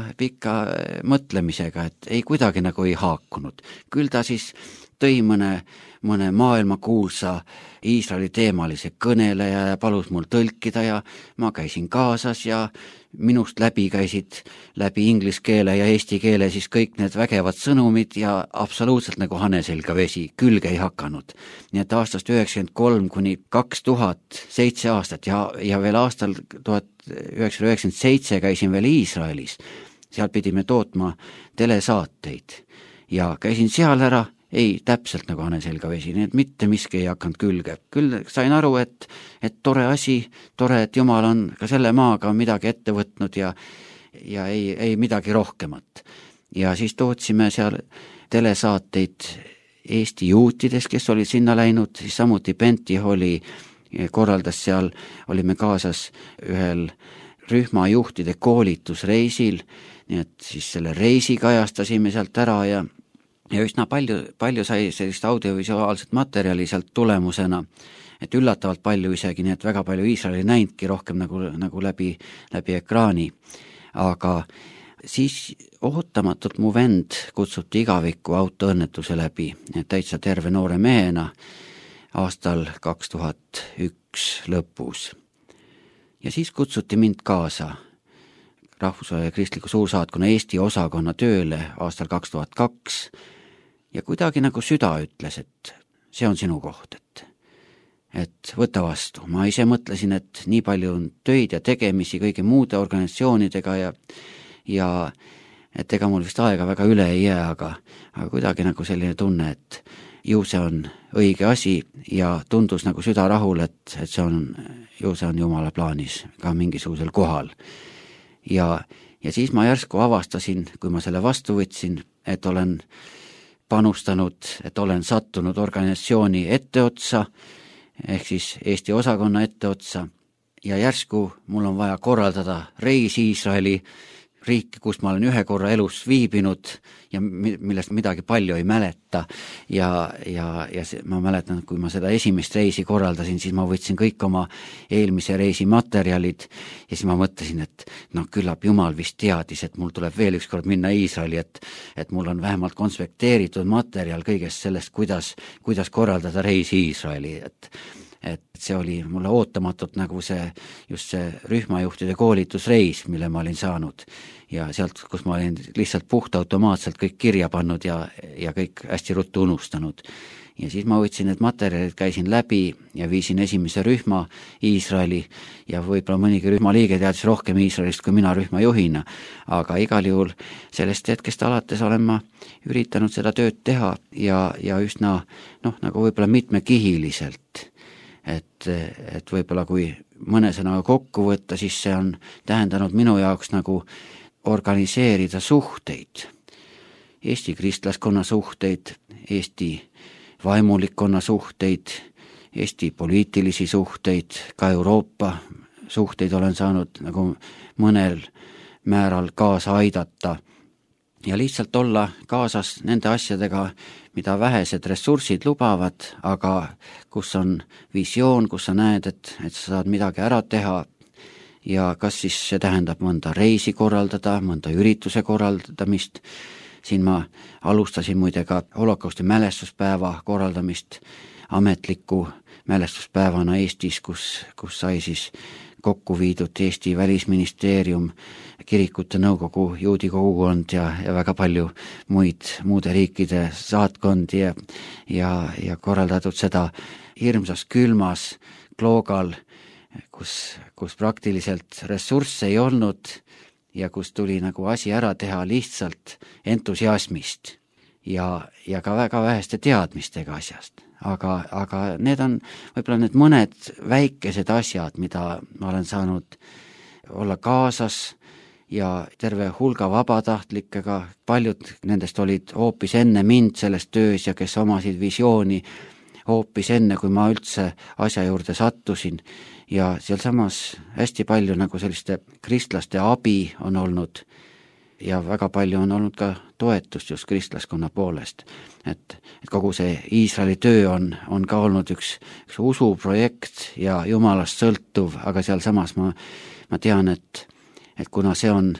mõtlemisega, et ei kuidagi nagu ei haakunud. Küll ta siis tõi mõne maailmakuulsa Iisraeli teemalise kõneleja ja palus mul tõlkida ja ma käisin kaasas ja minust läbi käisid läbi inglise keele ja eesti keele siis kõik need vägevad sõnumid ja absoluutselt nagu hane selga vesi, külge ei hakanud. Nii et aastast 1993 kuni 2007 aastat ja veel aastal 1997 käisin veel Iisraelis. Seal pidime tootma telesaateid ja käisin seal ära, ei täpselt nagu hane selga vesi, nii et mitte miski ei hakanud külge. Küll sain aru, et tore asi, tore, et Jumal on ka selle maaga midagi ette võtnud ja ei midagi rohkemat. Ja siis tootsime seal telesaateid Eesti juutides, kes olid sinna läinud, siis samuti Benti Holly korraldas seal, olime kaasas ühel rühmajuhtide koolitusreisil, nii et siis selle reisi kajastasime sealt ära ja üsna palju sai sellist audiovisuaalset materjali sealt tulemusena, et üllatavalt palju isegi, nii et väga palju Iisraeli näinudki rohkem nagu läbi ekraani. Aga siis ootamatult mu vend kutsuti igaviku autoõnnetuse läbi, täitsa terve noore mehena aastal 2001 lõpus. Ja siis kutsuti mind kaasa rahvusvahelise kristliku suursaatkonna Eesti osakonna tööle aastal 2002 ja kuidagi nagu süda ütles, et see on sinu koht, et võta vastu. Ma ise mõtlesin, et nii palju on töid ja tegemisi kõigi muude organisatsioonidega ja et ega mul vist aega väga üle ei jää, aga kuidagi nagu selline tunne, et ju see on õige asi ja tundus nagu süda rahul, et see on Jumala plaanis ka mingisugusel kohal. Ja siis ma järsku avastasin, kui ma selle vastu võtsin, et olen panustanud, et olen sattunud organisatsiooni etteotsa, ehk siis Eesti osakonna etteotsa ja järsku mul on vaja korraldada reis Iisraeli riiki, kus ma olen ühe korra elus viibinud ja millest midagi palju ei mäleta ja ma mäletan, kui ma seda esimest reisi korraldasin, siis ma võtsin kõik oma eelmise reisi materjalid ja siis ma mõtlesin, et küllap Jumal vist teadis, et mul tuleb veel ükskord minna Iisraeli, et mul on vähemalt konspekteeritud materjal kõigest sellest, kuidas korraldada reisi Iisraeli, et see oli mulle ootamatult nagu just see rühmajuhtide koolitusreis, mille ma olin saanud ja sealt, kus ma olin lihtsalt puhtautomaatselt kõik kirja pannud ja kõik hästi ruttu unustanud. Ja siis ma võtsin need materjalid, käisin läbi ja viisin esimese rühma Iisraeli ja võib-olla mõnigi rühma liige teadis rohkem Iisraelist kui mina rühmajuhina, aga igal juhul sellest hetkest alates olen ma üritanud seda tööd teha ja üsna nagu võib-olla mitmekihiliselt. Et võib-olla kui mõne sõnaga kokku võtta, siis see on tähendanud minu jaoks nagu organiseerida suhteid, Eesti kristlaskonna suhteid, Eesti vaimulikkonna suhteid, Eesti poliitilisi suhteid, ka Euroopa suhteid olen saanud nagu mõnel määral kaasa aidata ja lihtsalt olla kaasas nende asjadega, mida vähesed ressursid lubavad, aga kus on visioon, kus sa näed, et sa saad midagi ära teha ja kas siis see tähendab mõnda reisi korraldada, mõnda ürituse korraldamist. Siin ma alustasin muide ka holokausti mälestuspäeva korraldamist ametliku mälestuspäevana Eestis, kus sai siis kokku viidud Eesti Välisministeerium, kirikute nõukogu, juudi kogukond ja väga palju muude riikide saatkondi ja korraldatud seda hirmsas külmas Kloogal, kus praktiliselt ressursse ei olnud ja kus tuli nagu asi ära teha lihtsalt entusiasmist ja ka väga väheste teadmistega asjast. Aga need on võib-olla need mõned väikesed asjad, mida ma olen saanud olla kaasas ja terve hulga vabatahtlikega, paljud nendest olid hoopis enne mind selles töös ja kes omasid visiooni hoopis enne, kui ma üldse asja juurde sattusin ja sealsamas hästi palju nagu selliste kristlaste abi on olnud ja väga palju on olnud ka toetust just kristlaskonna poolest. Et kogu see Iisraeli töö on ka olnud üks usuprojekt ja Jumalast sõltuv, aga sealsamas ma tean, et kuna see on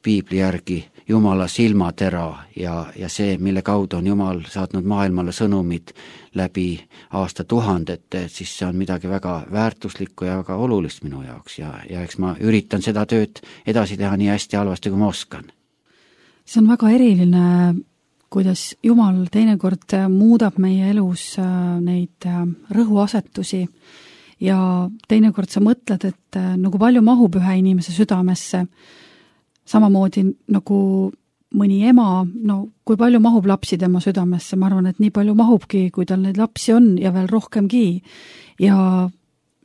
piibli järgi Jumala silmatera ja see, mille kaudu on Jumal saatnud maailmale sõnumid läbi aastatuhandete, siis see on midagi väga väärtuslikku ja väga olulist minu jaoks ja eks ma üritan seda tööd edasi teha nii hästi halvasti, kui ma oskan. See on väga eriline, kuidas Jumal teinekord muudab meie elus neid rõhuasetusi ja teinekord sa mõtled, et nagu palju mahub ühe inimese südamesse, samamoodi nagu mõni ema, no kui palju mahub lapsi tema südamesse, ma arvan, et nii palju mahubki, kui tal neid lapsi on ja veel rohkemgi. Ja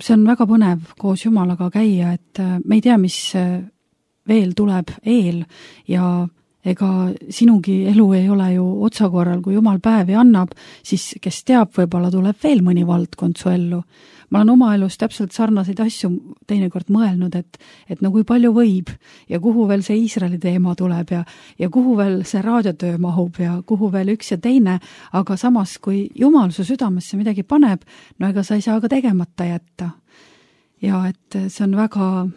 see on väga põnev koos Jumalaga käia, et me ei tea, mis veel tuleb eel ja ega sinugi elu ei ole ju otsakorral, kui Jumal päevi annab, siis kes teab, võib-olla tuleb veel mõni valdkond su ellu. Ma olen oma elus täpselt sarnaseid asju teinekord mõelnud, et no kui palju võib ja kuhu veel see Iisraeli teema tuleb ja kuhu veel see raadiotöö mahub ja kuhu veel üks ja teine, aga samas, kui Jumal su südamesse midagi paneb, no ega sa ei saa ka tegemata jätta. Ja et see on väga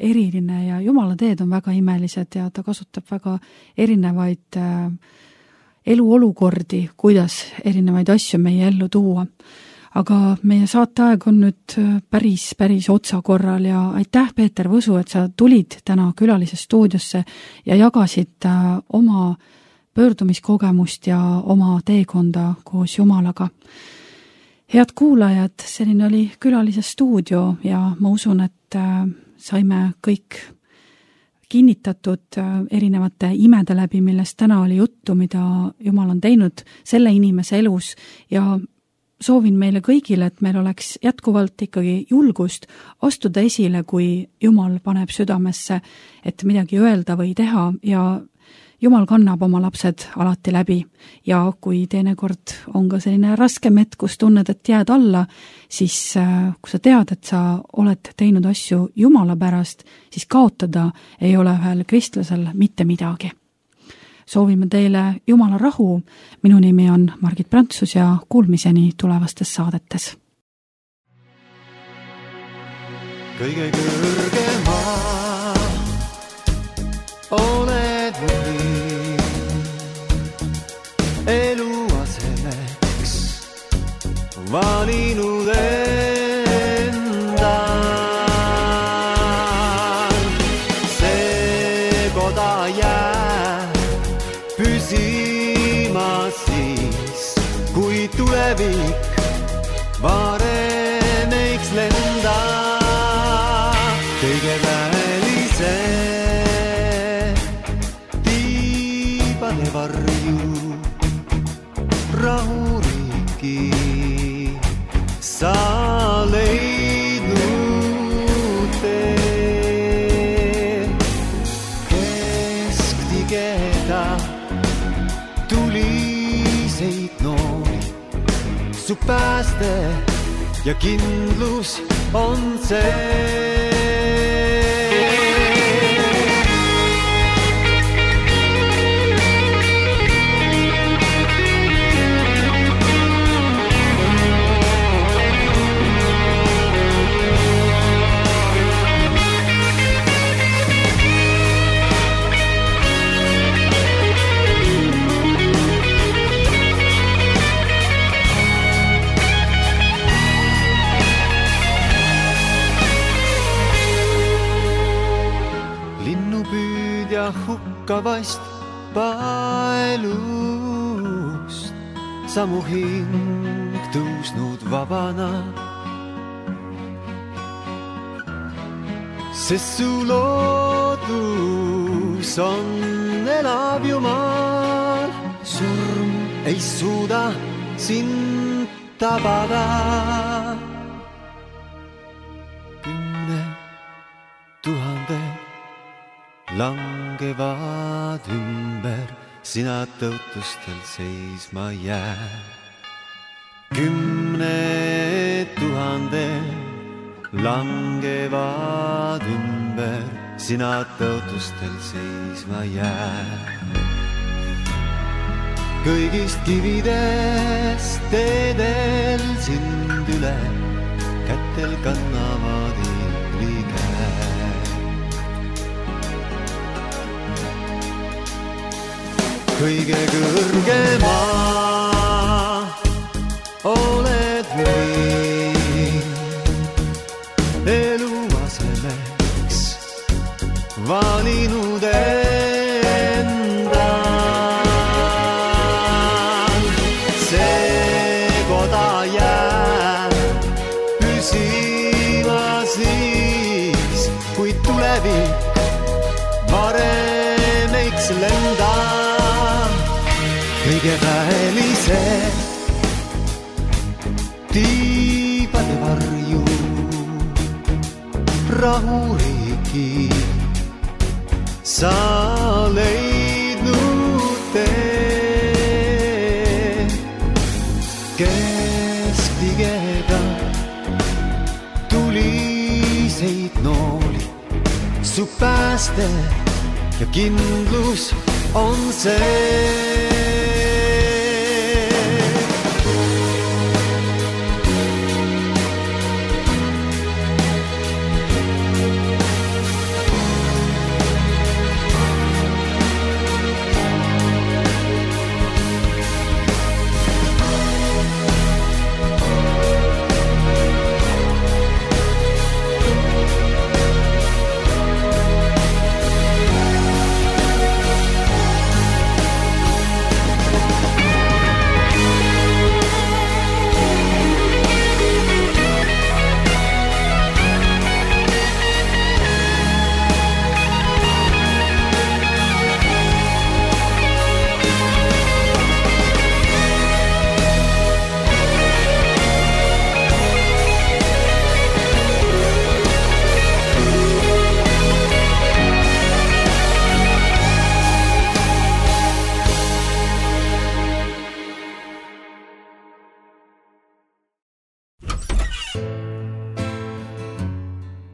eriline ja Jumala teed on väga imelised ja ta kasutab väga erinevaid eluolukordi, kuidas erinevaid asju meie ellu tuua. Aga meie saateaeg on nüüd päris otsakorral ja aitäh, Peeter Võsu, et sa tulid täna külalise stuudiosse ja jagasid oma pöördumiskogemust ja oma teekonda koos Jumalaga. Head kuulajad, selline oli külalise stuudio ja ma usun, et saime kõik kinnitatud erinevate imede läbi, millest täna oli juttu, mida Jumal on teinud selle inimese elus ja soovin meile kõigile, et meil oleks jätkuvalt ikkagi julgust astuda esile, kui Jumal paneb südamesse, et midagi öelda või teha ja Jumal kannab oma lapsed alati läbi ja kui teinekord on ka selline raskem hetk, kus tunned, et jääd alla, siis kui sa tead, et sa oled teinud asju Jumala pärast, siis kaotada ei ole ühel kristlasel mitte midagi. Soovime teile Jumala rahu. Minu nimi on Margit Prantsus ja kuulmiseni tulevastes saadetes. Kõige kõrgema oled või eluasemeks valinud enda. See koda jääb püsima siis, kui tulevik varem eiks lenda. Kõige välise tiibade varju rahuriiki sa leidnud tee. Kesktigeda tuliseid noori, su pääste ja kindlus on see. lakkavast paelust, samu hing tõusnud vabana. Sest su loodus on elav Jumal, surm ei suuda sind tabada. 10 000 langevad ümber, sina tõutustel seisma jää. 10 000 langevad ümber, sina tõutustel seisma jää. Kõigist kividest teedel sind üle, kätel kannavad ingli käe. Kõige kõrgema oled võim, eluasemeks valinud endal. See koda jääb püsima siis, kui tulevik varem eiks lenda. Kõige väelised tiibade varju rahuriigi sa leidnud tee. Keskpigeda tuliseid nooli, su pääste ja kindlus on see.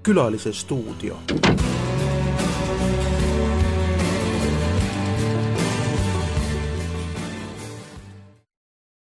Külalise stuudio.